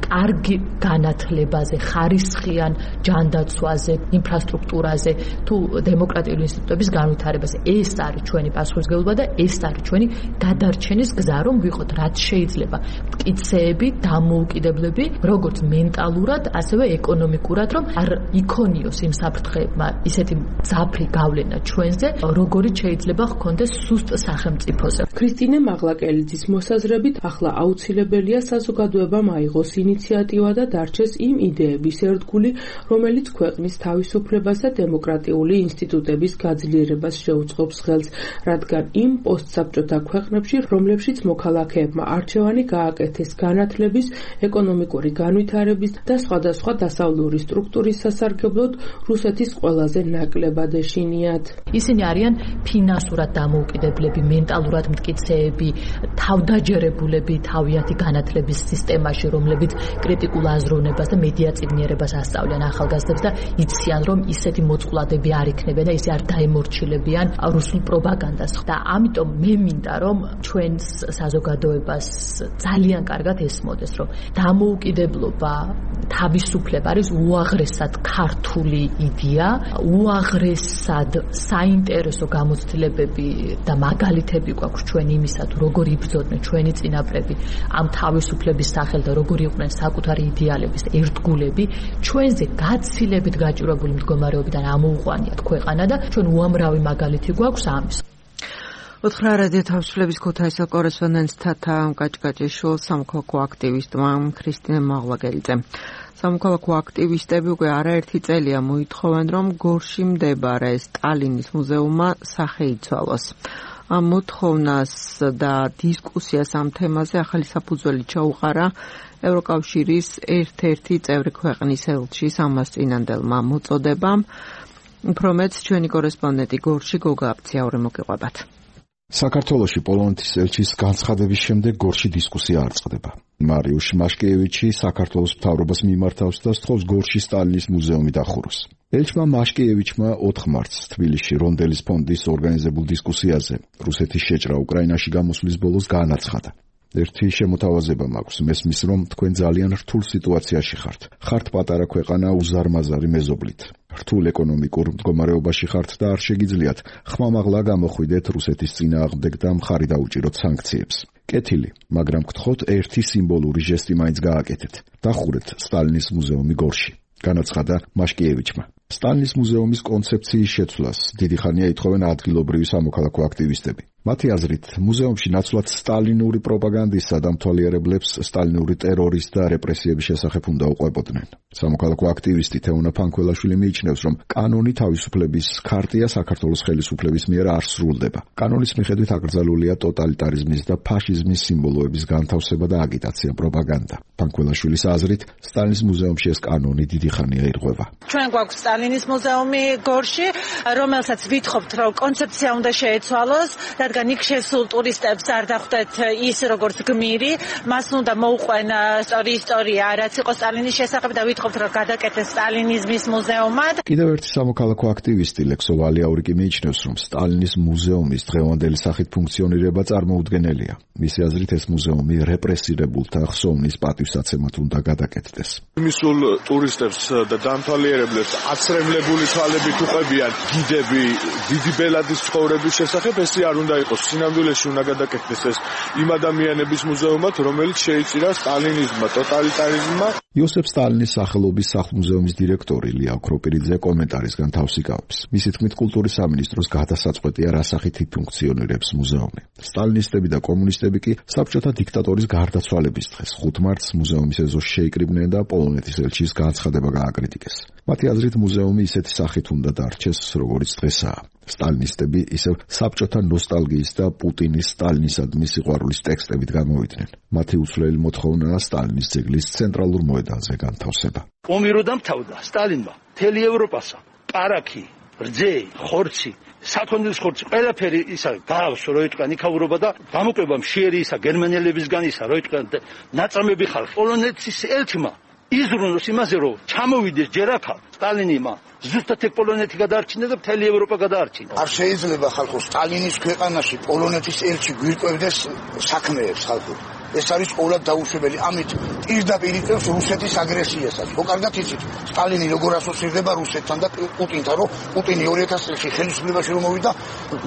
კარგი განათლებაზე, ხარისხიან ჯანდაცვაზე, ინფრასტრუქტურაზე, თუ დემოკრატიული ინსტიტუტების განვითარებაზე. ეს არის ჩვენი პასუხისმგებლობა და ეს არის ჩვენი გადარჩენის გზა, რომ ვიყოთ რაც შეიძლება მტკიცეები, დამოუკიდებლები, როგორც მენტალურად, ასევე ეკონომიკურად, რომ არ იქონიოს იმ საფრთხეებმა ისეთი ძაფრი გავლენა ჩვენზე, როგორიც შეიძლება ჰქონდეს სუსტ სახელმწიფოზე. ქრისტინე მაღლაკელიძის მოსაზრებით, ახლა აუცილებელია საზოგადოებამ აიღოს ინიციატივა და დარჩეს იმ იდეების ერთგული, რომელიც ქვეყნის თავისუფლებას და დემოკრატიული ინსტიტუტების გაძლიერებას შეუწყობს ხელს, რადგან იმ პოსტსაბჭოთა ქვეყნებში, რომლებშიც მოქალაქეებმა არჩევანი გააკეთეს განათლების, ეკონომიკური განვითარების და სხვადასხვა დასავლური სტრუქტურის სასარგებლოდ, რუსეთის ყველაზე ნაკლებად ეშინიათ. ისინი არიან ფინანსურად დამოუკიდებლები, მენტალურად მტკიცეები, თავდაჯერებულები თავიანთი განათლების სისტემაში, რომლებიც კრიტიკულ აზროვნებას და მედიაწიგნიერებას ასწავლიან ახალგაზრდებს და იციან, რომ ისეთი მოწყვლადები არ იქნებიან და ისე არ დაემორჩილებიან რუსულ პროპაგანდას. და ამიტომ მე მინდა, რომ ჩვენს საზოგადოებას ძალიან კარგად ესმოდეს, რომ დამოუკიდებლობა, თავისუფლება არის უაღრესად ქართული იდეა, უაღრესად საინტერესო გამოცდილებები და მაგალითები გვაქვს ჩვენ იმისა, თუ როგორ იბრძოდნენ ჩვენი წინაპრები ამ თავისუფლების სახელ და როგორ იყვნენ საკუთარი იდეალების ერთგულები, ჩვენზე გაცილებით გაჭირვებული მდგომარეობიდან ამოუყვანიათ ქვეყანა და ჩვენ უამრავი მაგალითი გვაქვს ამის. უთხრა რადიო თავისუფლების ქუთაისის კორესპონდენტ თათა კაჭკაჭიშვილს სამოქალაქო აქტივისტმა ქრისტინე მაღლაკელიძემ. სამოქალაქო აქტივისტები უკვე არაერთი წელია მოითხოვენ, რომ გორში მდებარე სტალინის მუზეუმმა სახე იცვალოს. ამ მოთხოვნას და დისკუსიას ამ თემაზე ახალი საფუძველი ჩაუყარა ევროკავშირის ერთ-ერთი წევრი ქვეყნის ელჩის ამას წინანდელმა მოწოდებამ. უფრო მეტს ჩვენი კორესპონდენტი გორში გოგა აბციაური მოგიყვებათ. საქართველოში პოლონეთის ელჩის განცხადების შემდეგ გორში დისკუსია არ წყდება. მარიუშ მაშკიევიჩი საქართველოს მთავრობას მიმართავს და სთხოვს გორში სტალინის მუზეუმი დახუროს. ელჩმა მაშკიევიჩმა ოთხ მარტს თბილისში რონდელის ფონდის ორგანიზებულ დისკუსიაზე რუსეთის შეჭრა უკრაინაში გამოსვლის ბოლოს განაცხადა. ერთი შემოთავაზება მაქვს, მესმის რომ თქვენ ძალიან რთულ სიტუაციაში ხართ. ხართ პატარა ქვეყანა უზარმაზარი მეზობლით. რთულ ეკონომიკურ მდგომარეობაში ხართ და არ შეგიძლიათ ხმამაღლა გამოხვიდეთ რუსეთის წინააღმდეგ და მხარი დაუჭიროთ სანქციებს. კეთილი, მაგრამ გთხოვთ ერთი სიმბოლური ჟესტი მაინც გააკეთეთ. დახურეთ სტალინის მუზეუმი გორში. განაცხადა მაშკიევიჩმა. სტალინის მუზეუმის კონცეფციის შეცვლას დიდი ხანია ითხოვენ ადგილობრივი სამოქალაქო აქტივისტები. მათი აზრით, მუზეუმში ნაცვლად სტალინური პროპაგანდისა და მთვალიერებლებს სტალინური ტერორის და რეპრესიების შესახებ უნდა უყვებოდნენ. სამოქალაქო აქტივისტი თეონა ფანქველაშვილი მიიჩნევს, რომ კანონი თავისუფლების ქარტია საქართველოს ხელისუფლების მიერ არ სრულდება. კანონის მიხედვით აკრძალულია ტოტალიტარიზმის და ფაშიზმის სიმბოლოების განთავსება და აგიტაცია, პროპაგანდა. ფანქველაშვილის აზრით, სტალინის მუზეუმში ეს კანონი დიდი ხანია ირღვევა. ჩვენ გვაქვს სტალინის მუზეუმი გორში, რომელსაც ვითხოვთ, რომ კონცეფცია უნდა შეეცვალოს, რადგან იქ შესულ ტურისტებს არ დახვდეთ ის როგორც გმირი, მას უნდა მოუყვენ სწორი ისტორია, რაც იყო სტალინის შესახებ და ვითხოვთ, რომ გადაკეთეს სტალინიზმის მუზეუმად. კიდევ ერთი სამოქალაქო აქტივისტი ლექსო ვალიაურიკი მიიჩნევს, რომ სტალინის მუზეუმის დღევანდელი სახით ფუნქციონირება წარმოუდგენელია. მისი აზრით, ეს მუზეუმი რეპრესირებულთა ხსოვნის პატივსაცემად უნდა გადაკეთდეს. მისულ ტურისტებს და დამთვალიერებლებს აცრემლებული თვალებით უყებიან გიდები დიდი ბელადის ცხოვრების შესახებ, ესე არ უნდა იყოს. სინამდვილეში უნდა გადაკეთდეს ეს იმ ადამიანების მუზეუმად, რომელიც შეიწირა სტალინიზმმა, ტოტალიტარიზმმა. იოსებ სტალინის სახელობის სახლ-მუზეუმის დირექტორი ლია ოქროპირიძე კომენტარისგან თავს იკავებს. მისი თქმით, კულტურის სამინისტროს გადასაწყვეტია რა სახით ფუნქციონირებს მუზეუმი. სტალინისტები და კომუნისტები კი საბჭოთა დიქტატორის გარდაცვალების დღეს ხუთ მარტს მუზეუმის ეზოში შეიკრიბნენ და პოლონეთის ელჩის განცხადება გააკრიტიკეს. მათი აზრით, მუზეუმი ისეთი სახით უნდა დარჩეს, როგორც დღესაა. სტალინისტები ისევ საბჭოთა ნოსტალგიის და პუტინის სტალინისადმი სიყვარულის ტექსტებით გამოვიდნენ. მათი უცვლელი მოთხოვნაა სტალინის ძეგლის ცენტრალურ მოედანზე განთავსება. ომი რო დამთავრდა სტალინმა მთელი ევროპასა პარაკი, რძე, ხორცი, საქონლის ხორცი, ყველაფერი ისა გაავს, რო იტყვიან იქაურობა და გამოკვება მშიერი ისა გერმანელებისგან ისა, რო იტყვიან ნაწამები ხალხი. პოლონეთის ელჩმა იზრუნოს იმაზე, რომ ჩამოვიდეს ჯერ აქა სტალინიმა ზუსტად ეგ პოლონეთი გადაარჩინა და მთელი ევროპა გადაარჩინა. არ შეიძლება ხალხო სტალინის ქვეყანაში პოლონეთის ელჩი გვირკვევდეს საქმეებს ხალხო. ეს არის ყოველად დაუშვებელი. ამით პირდაპირ იწევს რუსეთის აგრესიასაც. ხო, კარგად იცით, სტალინი როგორ ასოცირდება რუსეთთან და პუტინთან, რომ პუტინი ორი ათას წელს ხელისუფლებაში რომ მოვიდა,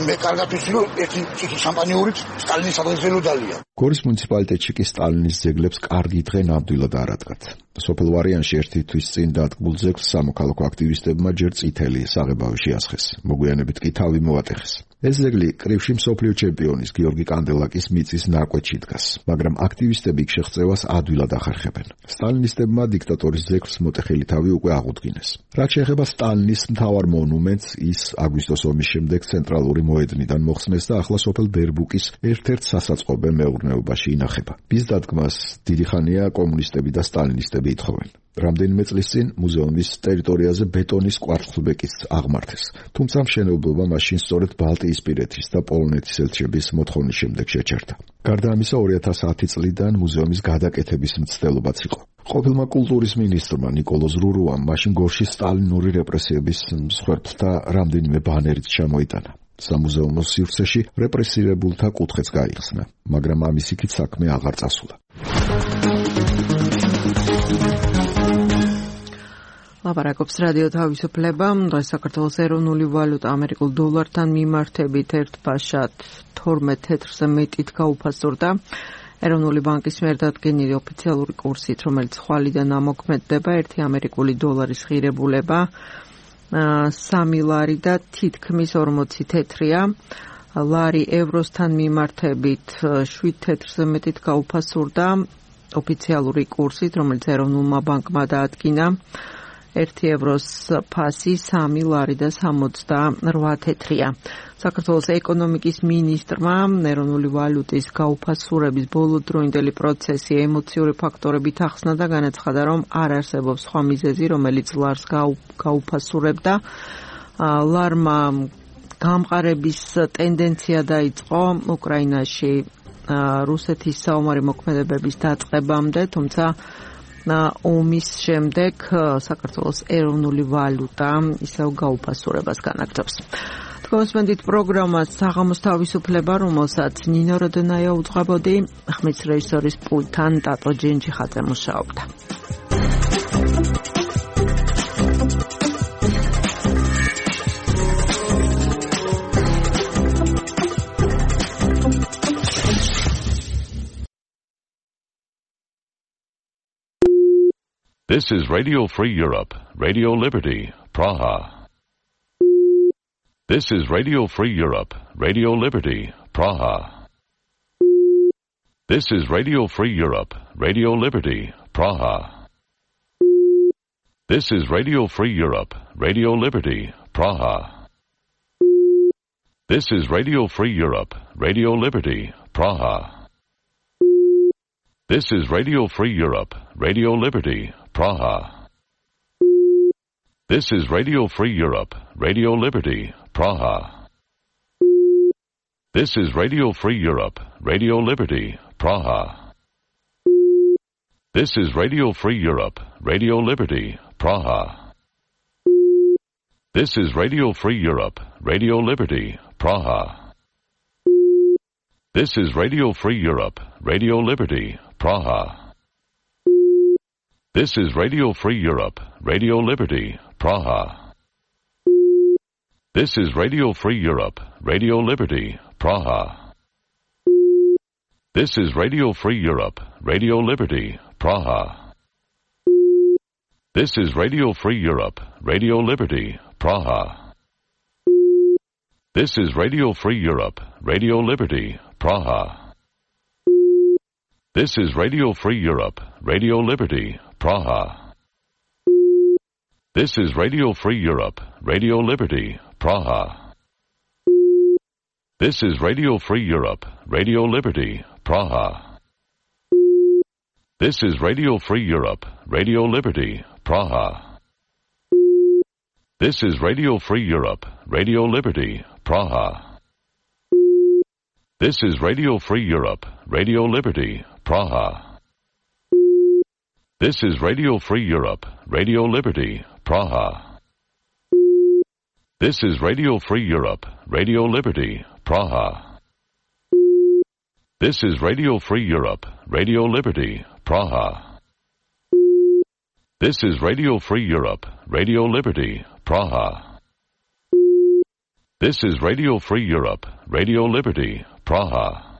მე კარგად ვიცი, რომ ერთი წითი შამპანიურით სტალინის ადგილზე დალია. გორის მუნიციპალიტეტში კი სტალინის ძეგლებს კარგი დღე ნამდვილად არ ადგათ. სოფელ ვარიანში ერთი თვის წინ დადგმულ ძეგლს სამოქალაქო აქტივისტებმა ჯერ წითელი საღებავი შეასხეს. მოგვიანებით კი თავი მოატეხეს. ეს ძეგლი კრივში მსოფლიო ჩემპიონის გიორგი კანდელაკის მიწის ნაკვეთში დგას, მაგრამ აქტივისტები იქ შეღწევას ადვილად ახერხებენ. სტალინისტებმა დიქტატორის ძეგლს მოტეხილი თავი უკვე აღუდგინეს. რაც შეეხება სტალინის მთავარ მონუმენტს, ის აგვისტოს ომის შემდეგ ცენტრალური მოედნიდან მოხსნეს და ახლა სოფელ ბერბუკის ერთ-ერთ სასაწყობე მეურნეობაში ინახება. მის დადგმას დიდი ხანია კომუნისტები და სტალინისტები ითხოვენ. რამდენიმე წლის წინ მუზეუმის ტერიტორიაზე ბეტონის კვარცხლბეკიც აღმართეს, თუმცა მშენებლობა მაშინ სწორედ ბალტიისპირეთის და პოლონეთის ელჩების მოთხოვნის შემდეგ შეჩერდა. გარდა ამისა, ორი ათას ათი წლიდან მუზეუმის გადაკეთების მცდელობაც იყო. ყოფილმა კულტურის მინისტრმა ნიკოლოზ რურუამ მაშინ გორში სტალინური რეპრესიების მსხვერპლთა რამდენიმე ბანერიც ჩამოიტანა. სამუზეუმო სივრცეში რეპრესირებულთა კუთხეც გაიხსნა, მაგრამ ამის იქით საქმე აღარ წასულა. ლაპარაკობს რადიო თავისუფლება. დღეს საქართველოს ეროვნული ვალუტა ამერიკულ დოლართან მიმართებით ერთ ფაშად თორმეტ თეთრზე მეტით გაუფასურდა. ეროვნული ბანკის მიერ დადგენილი ოფიციალური კურსით, რომელიც ხვალიდან ამოქმედდება, ერთი ამერიკული დოლარის ღირებულება სამი ლარი და თითქმის ორმოცი თეთრია. ლარი ევროსთან მიმართებით შვიდ თეთრზე მეტით გაუფასურდა ოფიციალური კურსით, რომელიც ეროვნულმა ბანკმა დაადგინა. ერთი ევროს ფასი სამი ლარი და სამოცდარვა თეთრია. საქართველოს ეკონომიკის მინისტრმა ეროვნული ვალუტის გაუფასურების ბოლოდროინდელი პროცესი ემოციური ფაქტორებით ახსნა და განაცხადა, რომ არ არსებობს სხვა მიზეზი, რომელიც ლარს გაუფასურებდა. ლარმა გამყარების ტენდენცია დაიწყო უკრაინაში რუსეთის საომარი მოქმედებების დაწყებამდე, თუმცა ომის შემდეგ საქართველოს ეროვნული ვალუტა ისევ გაუფასურებას განაგრძობს. Თქვენსმენდით პროგრამას საღამოს თავისუფლება, რომელსაც ნინო როდონაია უძღვებოდი, ხმის რეჟისორის პულტთან ტატო ჯენჯიხაძე მუშაობდა. This is Radio Free Europe, Radio Liberty, Praha. This is Radio Free Europe, Radio Liberty, Praha. This is Radio Free Europe, Radio Liberty, Praha. This is Radio Free Europe, Radio Liberty, Praha. This is Radio Free Europe, Radio Liberty, Praha. This is Radio Free Europe, Radio Liberty, Praha. This is Radio Free Europe, Radio Liberty, Praha. This is Radio Free Europe, Radio Liberty, Praha. This is Radio Free Europe, Radio Liberty, Praha. This is Radio Free Europe, Radio Liberty, Praha. This is Radio Free Europe, Radio Liberty, Praha. This is Radio Free Europe, Radio Liberty, Praha. This is Radio Free Europe, Radio Liberty, Praha. This is Radio Free Europe, Radio Liberty, Praha. This is Radio Free Europe, Radio Liberty, Praha. This is Radio Free Europe, Radio Liberty, Praha. This is Radio Free Europe, Radio Liberty, Praha. This is Radio Free Europe, Radio Liberty, Praha. This is Radio Free Europe, Radio Liberty, Praha. This is Radio Free Europe, Radio Liberty, Praha. This is Radio Free Europe, Radio Liberty, Praha. This is Radio Free Europe, Radio Liberty, Praha. This is Radio Free Europe, Radio Liberty, Praha. This is Radio Free Europe, Radio Liberty, Praha. This is Radio Free Europe, Radio Liberty, Praha. This is Radio Free Europe, Radio Liberty, Praha.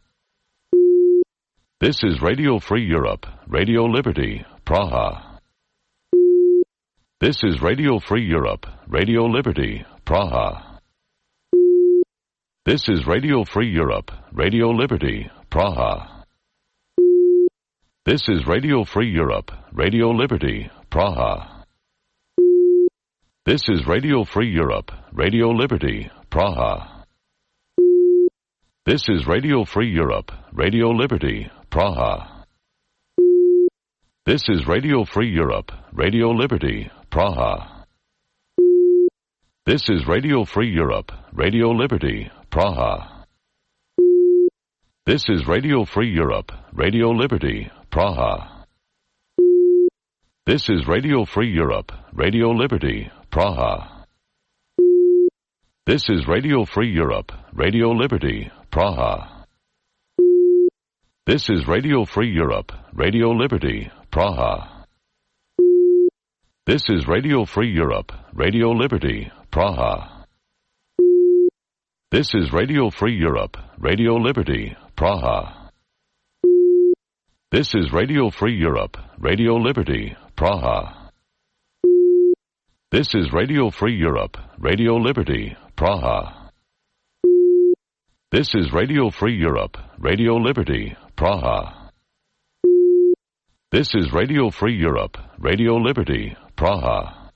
This is Radio Free Europe, Radio Liberty, Praha. This is Radio Free Europe, Radio Liberty, Praha. This is Radio Free Europe, Radio Liberty, Praha. This is Radio Free Europe, Radio Liberty, Praha. This is Radio Free Europe, Radio Liberty, Praha. This is Radio Free Europe, Radio Liberty, Praha. This is Radio Free Europe, Radio Liberty, Praha. This is Radio Free Europe, Radio Liberty, Praha. This is Radio Free Europe, Radio Liberty, Praha. This is Radio Free Europe, Radio Liberty, Praha. This is Radio Free Europe, Radio Liberty, Praha. This is Radio Free Europe, Radio Liberty, Praha. This is Radio Free Europe, Radio Liberty, Praha. This is Radio Free Europe, Radio Liberty, Praha. This is Radio Free Europe, Radio Liberty, Praha. This is Radio Free Europe, Radio Liberty, Praha. This is Radio Free Europe, Radio Liberty, Praha. This is Radio Free Europe, Radio Liberty, Praha. This is Radio Free Europe, Radio Liberty, Praha.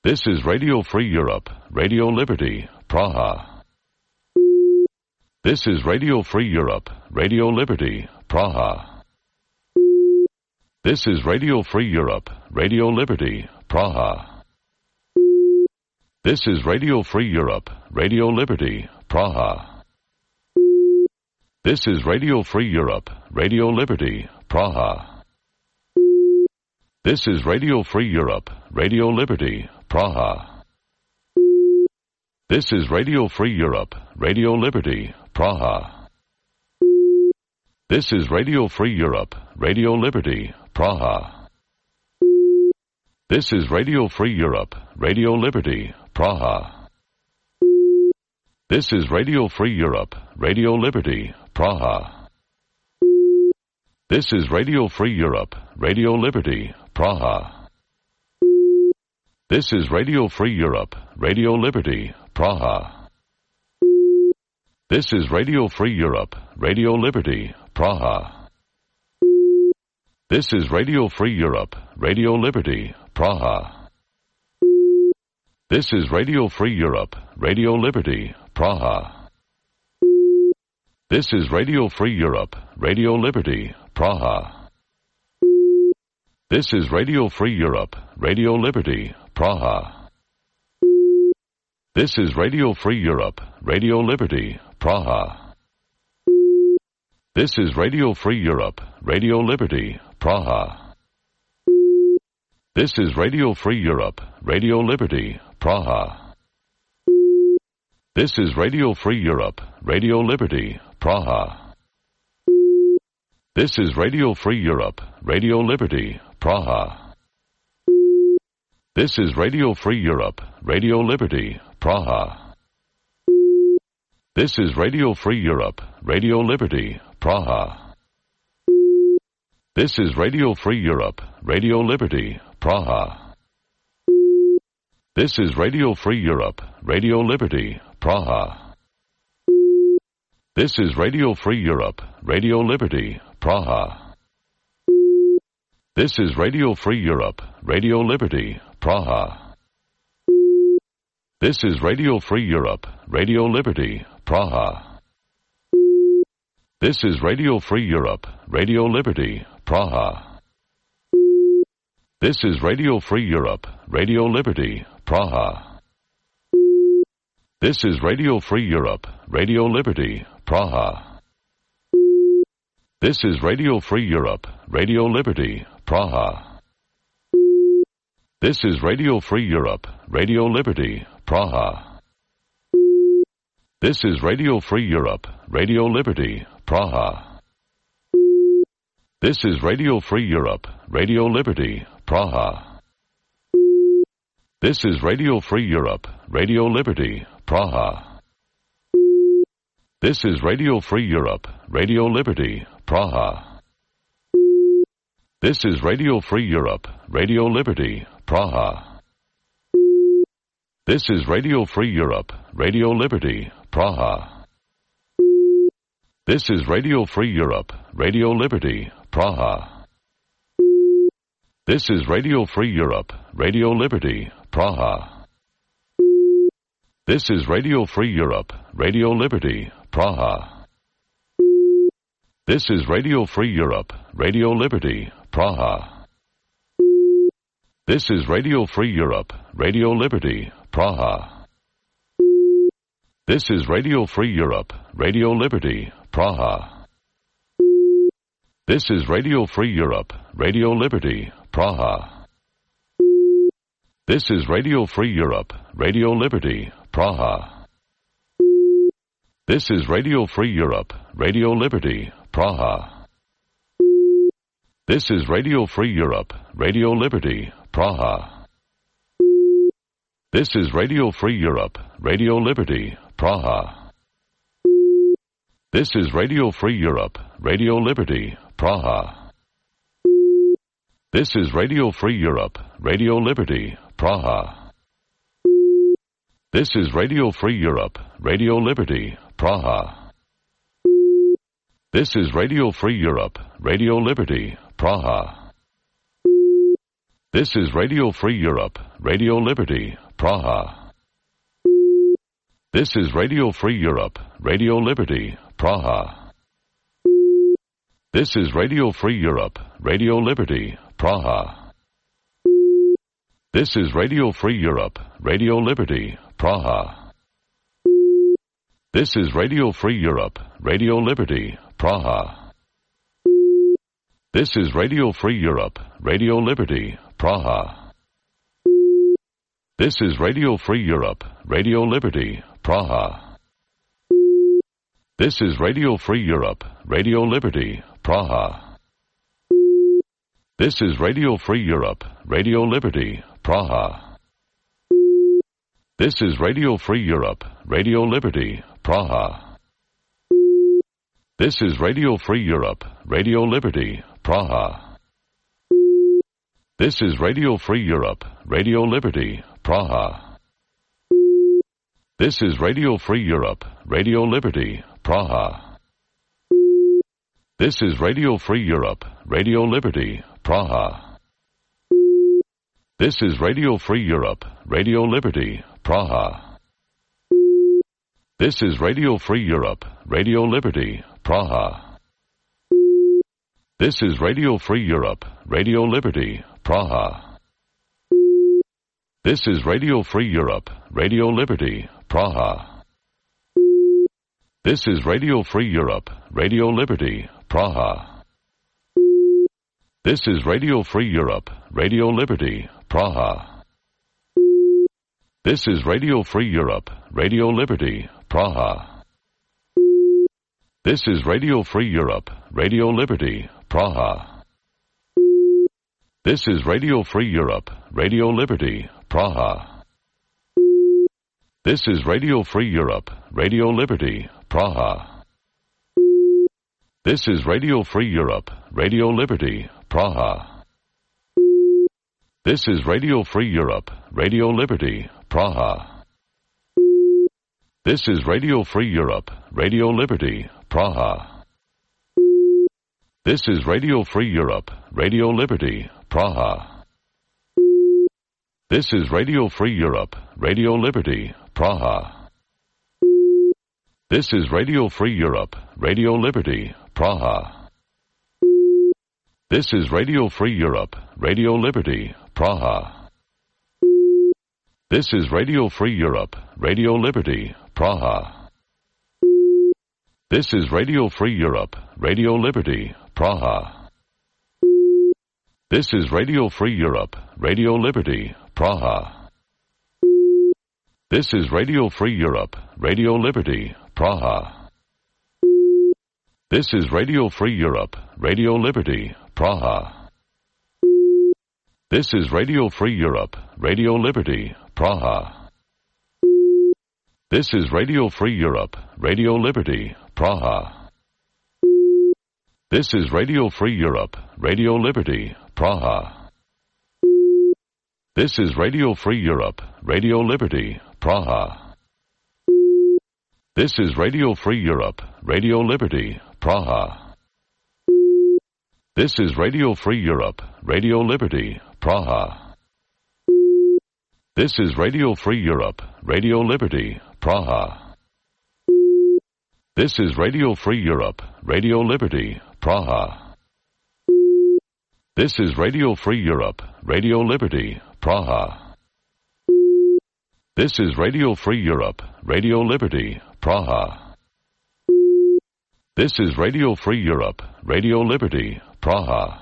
This is Radio Free Europe, Radio Liberty, Praha. This is Radio Free Europe, Radio Liberty, Praha. This is Radio Free Europe, Radio Liberty, Praha. This is Radio Free Europe, Radio Liberty, Praha. This is Radio Free Europe, Radio Liberty, Praha. This is Radio Free Europe, Radio Liberty, Praha. This is Radio Free Europe, Radio Liberty, Praha. This is Radio Free Europe, Radio Liberty, Praha. This is Radio Free Europe, Radio Liberty, Praha. This is Radio Free Europe, Radio Liberty, Praha. This is Radio Free Europe, Radio Liberty, Praha. This is Radio Free Europe, Radio Liberty, Praha. This is Radio Free Europe, Radio Liberty, Praha. This is Radio Free Europe, Radio Liberty, Praha. This is Radio Free Europe, Radio Liberty, Praha. This is Radio Free Europe, Radio Liberty, Praha. This is Radio Free Europe, Radio Liberty, Praha. This is Radio Free Europe, Radio Liberty, Praha. This is Radio Free Europe, Radio Liberty, Praha. This is Radio Free Europe, Radio Liberty, Praha. This is Radio Free Europe, Radio Liberty, Praha. This is Radio Free Europe, Radio Liberty, Praha. This is Radio Free Europe, Radio Liberty, Praha. This is Radio Free Europe, Radio Liberty, Praha. This is Radio Free Europe, Radio Liberty, Praha. This is Radio Free Europe, Radio Liberty, Praha. This is Radio Free Europe, Radio Liberty, Praha. This is Radio Free Europe, Radio Liberty, Praha. This is Radio Free Europe, Radio Liberty, Praha. This is Radio Free Europe, Radio Liberty, Praha. This is Radio Free Europe, Radio Liberty, Praha. This is Radio Free Europe, Radio Liberty, Praha. This is Radio Free Europe, Radio Liberty, Praha. This is Radio Free Europe, Radio Liberty, Praha. This is Radio Free Europe, Radio Liberty, Praha. This is Radio Free Europe, Radio Liberty, Praha. This is Radio Free Europe, Radio Liberty, Praha. This is Radio Free Europe, Radio Liberty, Praha. This is Radio Free Europe, Radio Liberty, Praha. This is Radio Free Europe, Radio Liberty, Praha. This is Radio Free Europe, Radio Liberty, Praha. This is Radio Free Europe, Radio Liberty, Praha. This is Radio Free Europe, Radio Liberty, Praha. This is Radio Free Europe, Radio Liberty, Praha. This is Radio Free Europe, Radio Liberty, Praha. This is Radio Free Europe, Radio Liberty, Praha. This is Radio Free Europe, Radio Liberty, Praha. This is Radio Free Europe, Radio Liberty, Praha. This is Radio Free Europe, Radio Liberty, Praha. This is Radio Free Europe, Radio Liberty, Praha. This is Radio Free Europe, Radio Liberty, Praha. This is Radio Free Europe, Radio Liberty, Praha. This is Radio Free Europe, Radio Liberty, Praha. This is Radio Free Europe, Radio Liberty, Praha. This is Radio Free Europe, Radio Liberty, Praha. This is Radio Free Europe, Radio Liberty, Praha. This is Radio Free Europe, Radio Liberty, Praha. This is Radio Free Europe, Radio Liberty, Praha. This is Radio Free Europe, Radio Liberty, Praha. This is Radio Free Europe, Radio Liberty, Praha. This is Radio Free Europe, Radio Liberty, Praha. This is Radio Free Europe, Radio Liberty, Praha. This is Radio Free Europe, Radio Liberty, Praha. This is Radio Free Europe, Radio Liberty, Praha. This is Radio Free Europe, Radio Liberty, Praha. This is Radio Free Europe, Radio Liberty, Praha. This is Radio Free Europe, Radio Liberty, Praha. This is Radio Free Europe, Radio Liberty, Praha. This is Radio Free Europe, Radio Liberty, Praha. This is Radio Free Europe, Radio Liberty, Praha. This is Radio Free Europe, Radio Liberty, Praha. This is Radio Free Europe, Radio Liberty, Praha. This is Radio Free Europe, Radio Liberty, Praha. This is Radio Free Europe, Radio Liberty, Praha. This is Radio Free Europe, Radio Liberty, Praha. This is Radio Free Europe, Radio Liberty, Praha. This is Radio Free Europe, Radio Liberty, Praha. This is Radio Free Europe, Radio Liberty, Praha. This is Radio Free Europe, Radio Liberty, Praha. This is Radio Free Europe, Radio Liberty, Praha. This is Radio Free Europe, Radio Liberty, Praha. This is Radio Free Europe, Radio Liberty, Praha. This is Radio Free Europe, Radio Liberty, Praha. This is Radio Free Europe, Radio Liberty, Praha. This is Radio Free Europe, Radio Liberty, Praha. This is Radio Free Europe, Radio Liberty, Praha. This is Radio Free Europe, Radio Liberty, Praha. This is Radio Free Europe, Radio Liberty, Praha. This is Radio Free Europe, Radio Liberty, Praha. This is Radio Free Europe, Radio Liberty, Praha. This is Radio Free Europe, Radio Liberty, Praha. This is Radio Free Europe, Radio Liberty, Praha. This is Radio Free Europe, Radio Liberty, Praha. This is Radio Free Europe, Radio Liberty, Praha. This is Radio Free Europe, Radio Liberty, Praha. This is Radio Free Europe, Radio Liberty, Praha. This is Radio Free Europe, Radio Liberty, Praha. This is Radio Free Europe, Radio Liberty, Praha. This is Radio Free Europe, Radio Liberty, Praha. This is Radio Free Europe, Radio Liberty, Praha. This is Radio Free Europe, Radio Liberty, Praha. This is Radio Free Europe, Radio Liberty, Praha.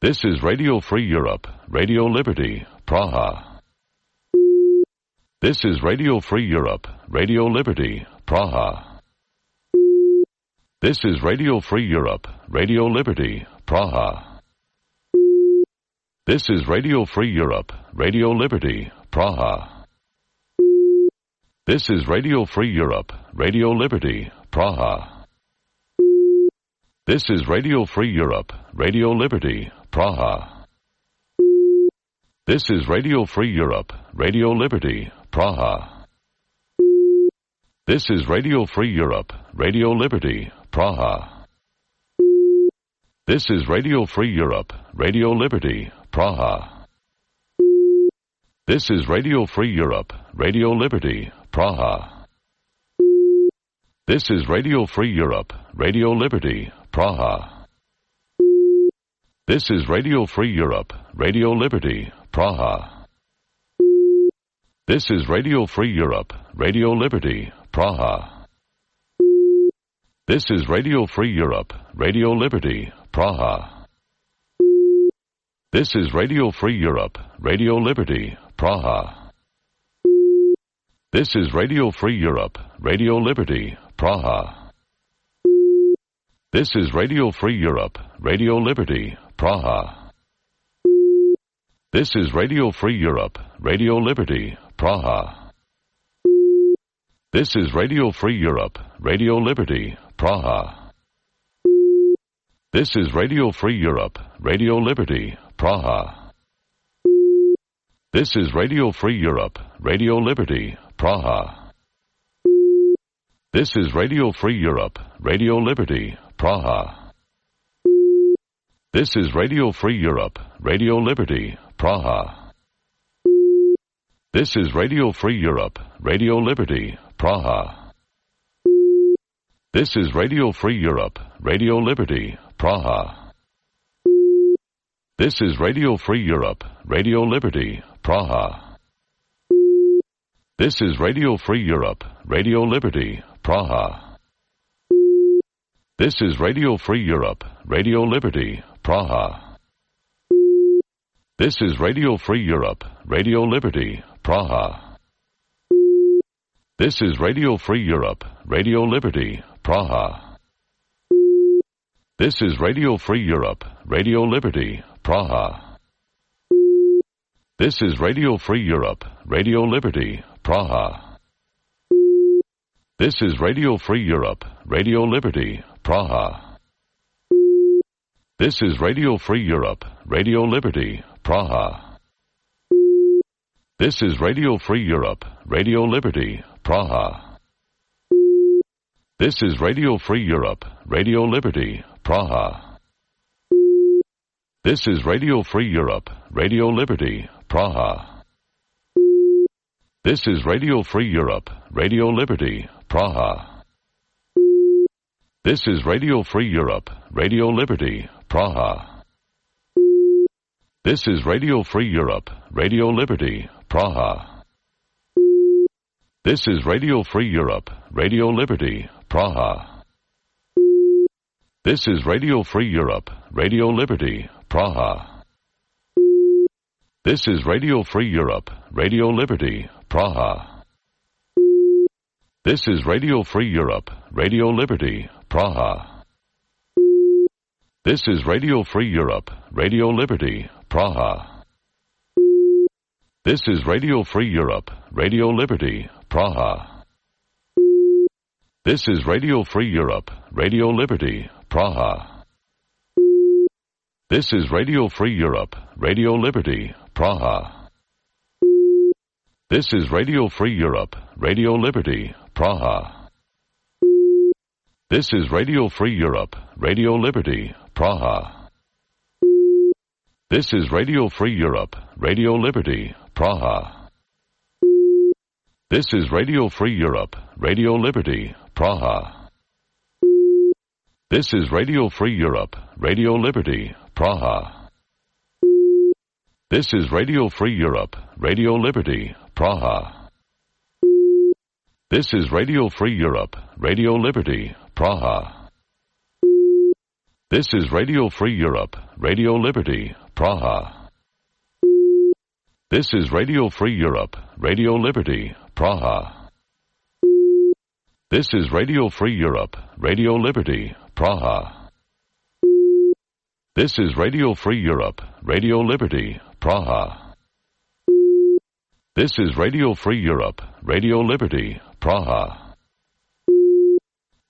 This is Radio Free Europe, Radio Liberty, Praha. This is Radio Free Europe, Radio Liberty, Praha. This is Radio Free Europe, Radio Liberty, Praha. This is Radio Free Europe, Radio Liberty, Praha. This is Radio Free Europe, Radio Liberty, Praha. This is Radio Free Europe, Radio Liberty, Praha. This is Radio Free Europe, Radio Liberty, Praha. This is Radio Free Europe, Radio Liberty, Praha. This is Radio Free Europe, Radio Liberty, Praha. This is Radio Free Europe, Radio Liberty, Praha. This is Radio Free Europe, Radio Liberty, Praha. This is Radio Free Europe, Radio Liberty, Praha. This is Radio Free Europe, Radio Liberty, Praha. This is Radio Free Europe, Radio Liberty, Praha. This is Radio Free Europe, Radio Liberty, Praha. This is Radio Free Europe, Radio Liberty, Praha. This is Radio Free Europe, Radio Liberty, Praha. This is Radio Free Europe, Radio Liberty, Praha. This is Radio Free Europe, Radio Liberty, Praha. This is Radio Free Europe, Radio Liberty, Praha. This is Radio Free Europe, Radio Liberty, Praha. This is Radio Free Europe, Radio Liberty, Praha. This is Radio Free Europe, Radio Liberty, Praha. This is Radio Free Europe, Radio Liberty, Praha. This is Radio Free Europe, Radio Liberty, Praha. This is Radio Free Europe, Radio Liberty, Praha. This is Radio Free Europe, Radio Liberty, Praha. This is Radio Free Europe, Radio Liberty, Praha. This is Radio Free Europe, Radio Liberty, Praha. This is Radio Free Europe, Radio Liberty, Praha. This is Radio Free Europe, Radio Liberty, Praha. This is Radio Free Europe, Radio Liberty, Praha. This is Radio Free Europe, Radio Liberty, Praha. This is Radio Free Europe, Radio Liberty, Praha. This is Radio Free Europe, Radio Liberty, Praha. This is Radio Free Europe, Radio Liberty, Praha. This is Radio Free Europe, Radio Liberty, Praha. This is Radio Free Europe, Radio Liberty, Praha. This is Radio Free Europe, Radio Liberty, Praha. This is Radio Free Europe, Radio Liberty, Praha. This is Radio Free Europe, Radio Liberty, Praha. This is Radio Free Europe, Radio Liberty, Praha. This is Radio Free Europe, Radio Liberty, Praha. This is Radio Free Europe, Radio Liberty, Praha. This is Radio Free Europe, Radio Liberty, Praha. This is Radio Free Europe, Radio Liberty, Praha. This is Radio Free Europe, Radio Liberty, Praha. This is Radio Free Europe, Radio Liberty, Praha. This is Radio Free Europe, Radio Liberty, Praha. This is Radio Free Europe, Radio Liberty, Praha. This is Radio Free Europe, Radio Liberty, Praha. This is Radio Free Europe, Radio Liberty, Praha. This is Radio Free Europe, Radio Liberty, Praha. This is Radio Free Europe, Radio Liberty, Praha. This is Radio Free Europe, Radio Liberty, Praha. This is Radio Free Europe, Radio Liberty, Praha. This is Radio Free Europe, Radio Liberty, Praha. This is Radio Free Europe, Radio Liberty, Praha. This is Radio Free Europe, Radio Liberty, Praha. This is Radio Free Europe, Radio Liberty, Praha.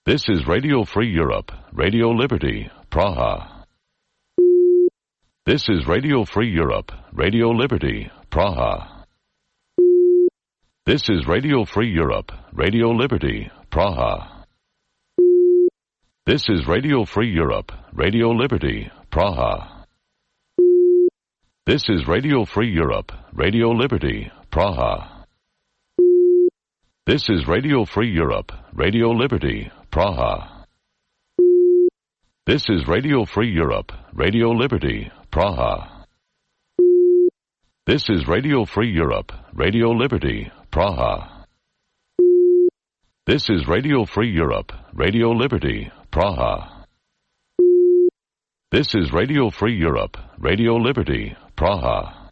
This is Radio Free Europe, Radio Liberty, Praha. This is Radio Free Europe, Radio Liberty, Praha. This is Radio Free Europe, Radio Liberty, Praha. This is Radio Free Europe, Radio Liberty, Praha. This is Radio Free Europe, Radio Liberty, Praha. This is Radio Free Europe, Radio Liberty, Praha. This is Radio Free Europe, Radio Liberty, Praha. This is Radio Free Europe, Radio Liberty, Praha. This is Radio Free Europe, Radio Liberty, Praha. This is Radio Free Europe, Radio Liberty, Praha.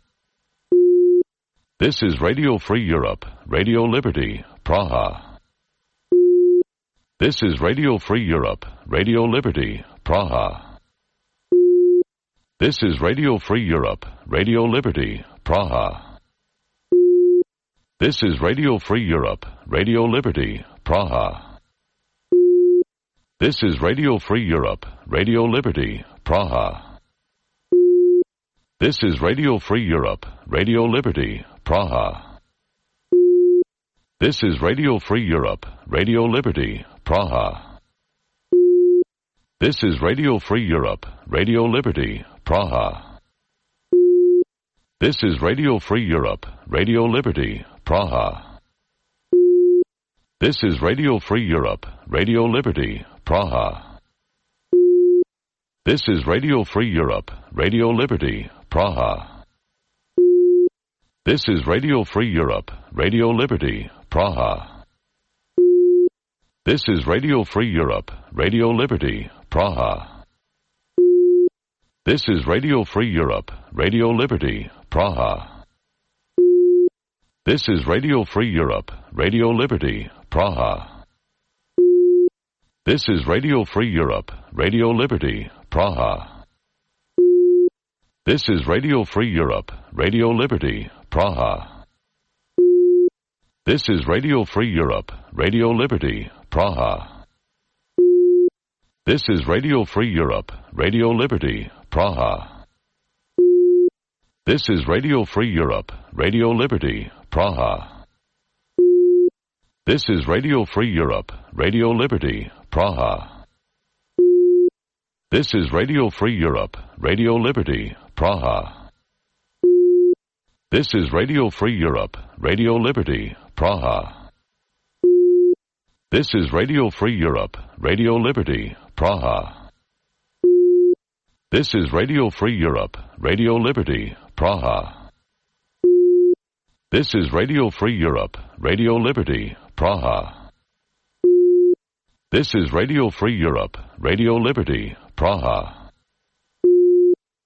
This is Radio Free Europe, Radio Liberty, Praha. This is Radio Free Europe, Radio Liberty, Praha. This is Radio Free Europe, Radio Liberty, Praha. This is Radio Free Europe, Radio Liberty, Praha. This is Radio Free Europe, Radio Liberty, Praha. This is Radio Free Europe, Radio Liberty, Praha. This is Radio Free Europe, Radio Liberty, Praha. This is Radio Free Europe, Radio Liberty, Praha. This is Radio Free Europe, Radio Liberty, Praha. This is Radio Free Europe, Radio Liberty, Praha. This is Radio Free Europe, Radio Liberty, Praha. This is Radio Free Europe, Radio Liberty, Praha. This is Radio Free Europe, Radio Liberty, Praha. This is Radio Free Europe, Radio Liberty, Praha. This is Radio Free Europe, Radio Liberty, Praha. This is Radio Free Europe, Radio Liberty, Praha. This is Radio Free Europe, Radio Liberty, Praha. This is Radio Free Europe, Radio Liberty, Praha. This is Radio Free Europe, Radio Liberty, Praha. This is Radio Free Europe, Radio Liberty, Praha. This is Radio Free Europe, Radio Liberty, Praha. This is Radio Free Europe, Radio Liberty, Praha. This is Radio Free Europe, Radio Liberty, Praha. This is Radio Free Europe, Radio Liberty, Praha. This is Radio Free Europe, Radio Liberty, Praha. This is Radio Free Europe, Radio Liberty, Praha. This is Radio Free Europe, Radio Liberty, Praha.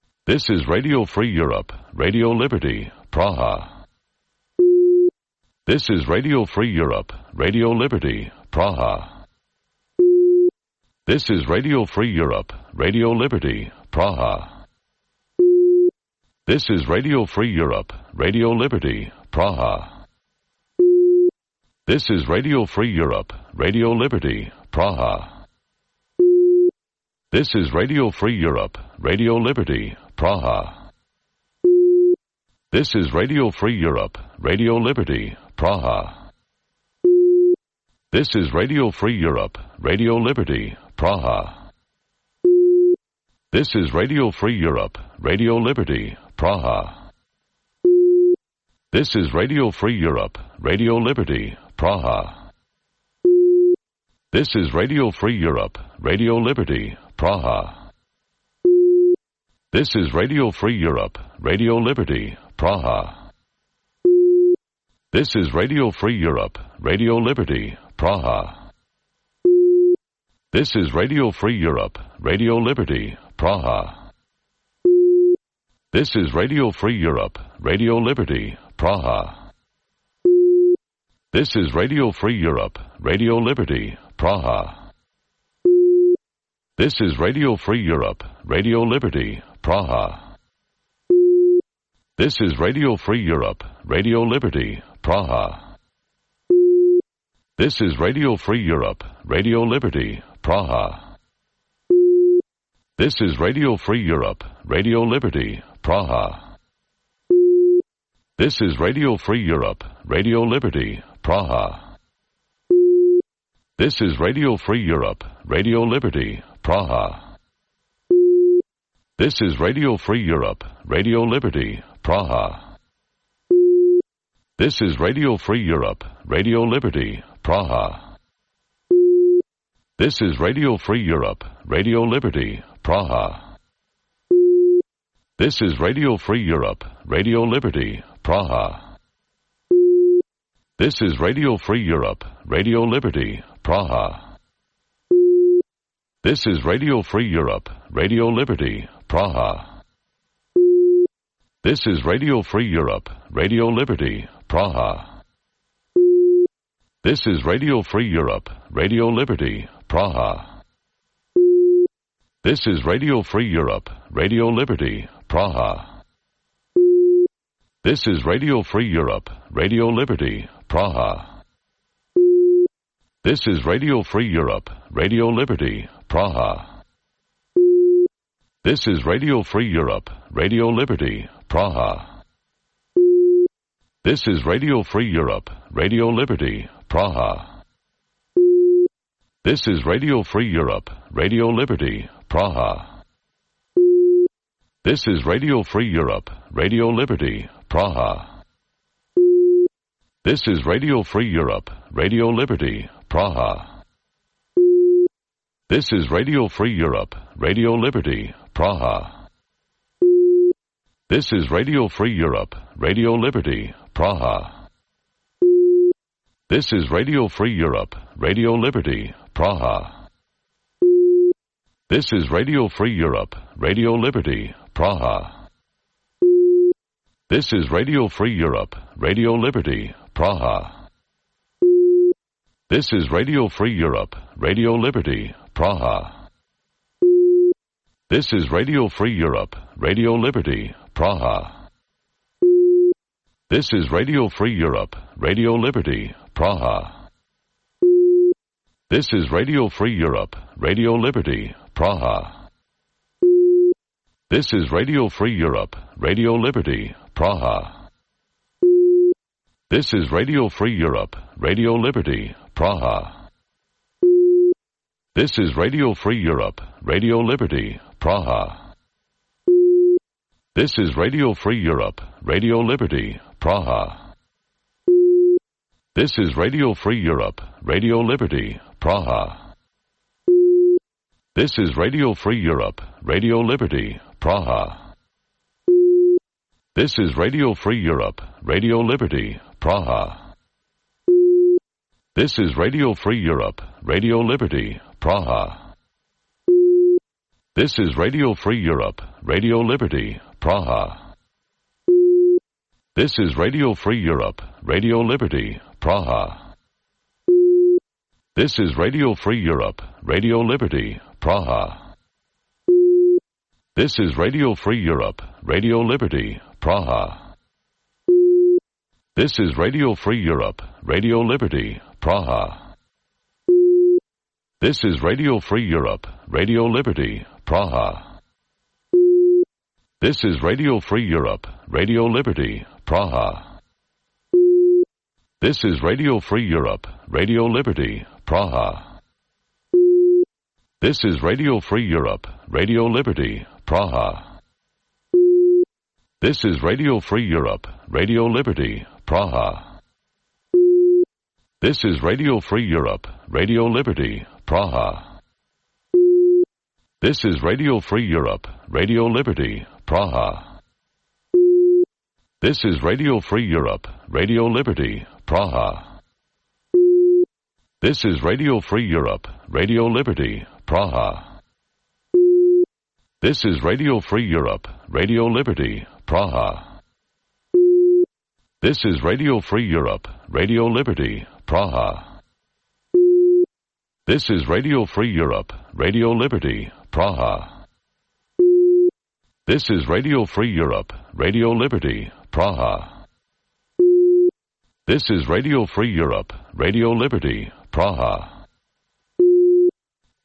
This is Radio Free Europe, Radio Liberty, Praha. This is Radio Free Europe, Radio Liberty, Praha. This is Radio Free Europe, Radio Liberty, Praha. This is Radio Free Europe, Radio Liberty, Praha. This is Radio Free Europe, Radio Liberty, Praha. This is Radio Free Europe, Radio Liberty, Praha. This is Radio Free Europe, Radio Liberty, Praha. This is Radio Free Europe, Radio Liberty, Praha. This is Radio Free Europe, Radio Liberty, Praha. This is Radio Free Europe, Radio Liberty, Praha. This is Radio Free Europe, Radio Liberty, Praha. This is Radio Free Europe, Radio Liberty, Praha. This is Radio Free Europe, Radio Liberty, Praha. This is Radio Free Europe, Radio Liberty, Praha. This is Radio Free Europe, Radio Liberty, Praha. This is Radio Free Europe, Radio Liberty, Praha. This is Radio Free Europe, Radio Liberty, Praha. This is Radio Free Europe, Radio Liberty, Praha. This is Radio Free Europe, Radio Liberty, Praha. This is Radio Free Europe, Radio Liberty, Praha. This is Radio Free Europe, Radio Liberty, Praha. This is Radio Free Europe, Radio Liberty, Praha. This is Radio Free Europe, Radio Liberty, Praha. This is Radio Free Europe, Radio Liberty, Praha. This is Radio Free Europe, Radio Liberty, Praha. This is Radio Free Europe, Radio Liberty, Praha. This is Radio Free Europe, Radio Liberty, Praha. This is Radio Free Europe, Radio Liberty, Praha. This is Radio Free Europe, Radio Liberty, Praha. This is Radio Free Europe, Radio Liberty, Praha. This is Radio Free Europe, Radio Liberty, Praha. This is Radio Free Europe, Radio Liberty, Praha. This is Radio Free Europe, Radio Liberty, Praha. This is Radio Free Europe, Radio Liberty, Praha. This is Radio Free Europe, Radio Liberty, Praha. This is Radio Free Europe, Radio Liberty, Praha. This is Radio Free Europe, Radio Liberty, Praha. This is Radio Free Europe, Radio Liberty, Praha. This is Radio Free Europe, Radio Liberty, Praha. This is Radio Free Europe, Radio Liberty, Praha. This is Radio Free Europe, Radio Liberty, Praha. This is Radio Free Europe, Radio Liberty, Praha. This is Radio Free Europe, Radio Liberty, Praha. This is Radio Free Europe, Radio Liberty, Praha. This is Radio Free Europe, Radio Liberty, Praha. This is Radio Free Europe, Radio Liberty, Praha. This is Radio Free Europe, Radio Liberty, Praha. This is Radio Free Europe, Radio Liberty, Praha. This is Radio Free Europe, Radio Liberty, Praha. This is Radio Free Europe, Radio Liberty, Praha. This is Radio Free Europe, Radio Liberty, Praha. This is Radio Free Europe, Radio Liberty, Praha. This is Radio Free Europe, Radio Liberty, Praha. This is Radio Free Europe, Radio Liberty, Praha. This is Radio Free Europe, Radio Liberty, Praha. This is Radio Free Europe, Radio Liberty, Praha. This is Radio Free Europe, Radio Liberty, Praha. This is Radio Free Europe, Radio Liberty, Praha. This is Radio Free Europe, Radio Liberty, Praha. This is Radio Free Europe, Radio Liberty, Praha. This is Radio Free Europe, Radio Liberty, Praha. This is Radio Free Europe, Radio Liberty, Praha. This is Radio Free Europe, Radio Liberty, Praha. This is Radio Free Europe, Radio Liberty, Praha. This is Radio Free Europe, Radio Liberty, Praha. This is Radio Free Europe, Radio Liberty, Praha. This is Radio Free Europe, Radio Liberty, Praha. This is Radio Free Europe, Radio Liberty, Praha. This is Radio Free Europe, Radio Liberty, Praha. This is Radio Free Europe, Radio Liberty, Praha. This is Radio Free Europe, Radio Liberty, Praha. This is Radio Free Europe, Radio Liberty, Praha. This is Radio Free Europe, Radio Liberty, Praha. This is Radio Free Europe, Radio Liberty, Praha.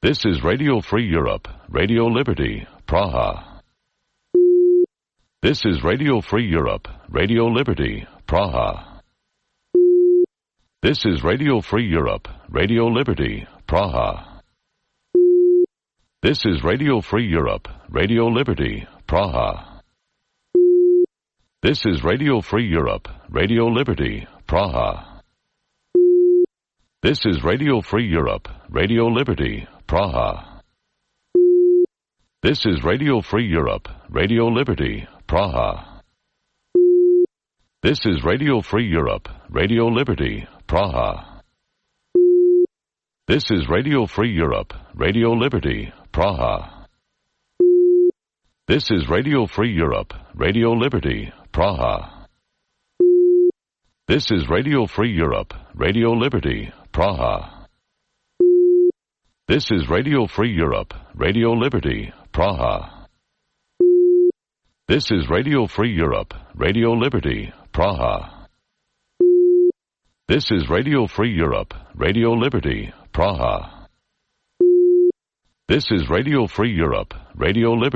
This is Radio Free Europe, Radio Liberty, Praha. This is Radio Free Europe, Radio Liberty, Praha. This is Radio Free Europe, Radio Liberty, Praha. This is Radio Free Europe, Radio Liberty, Praha. This is Radio Free Europe, Radio Liberty, Praha. This is Radio Free Europe, Radio Liberty, Praha. This is Radio Free Europe, Radio Liberty, Praha. This is Radio Free Europe, Radio Liberty, Praha. This is Radio Free Europe, Radio Liberty, Praha. This is Radio Free Europe, Radio Liberty, Praha. This is Radio Free Europe, Radio Liberty, Praha. This is Radio Free Europe, Radio Liberty, Praha. This is Radio Free Europe, Radio Liberty, Praha. This is Radio Free Europe, Radio Liberty, Praha. This is Radio Free Europe, Radio Liberty.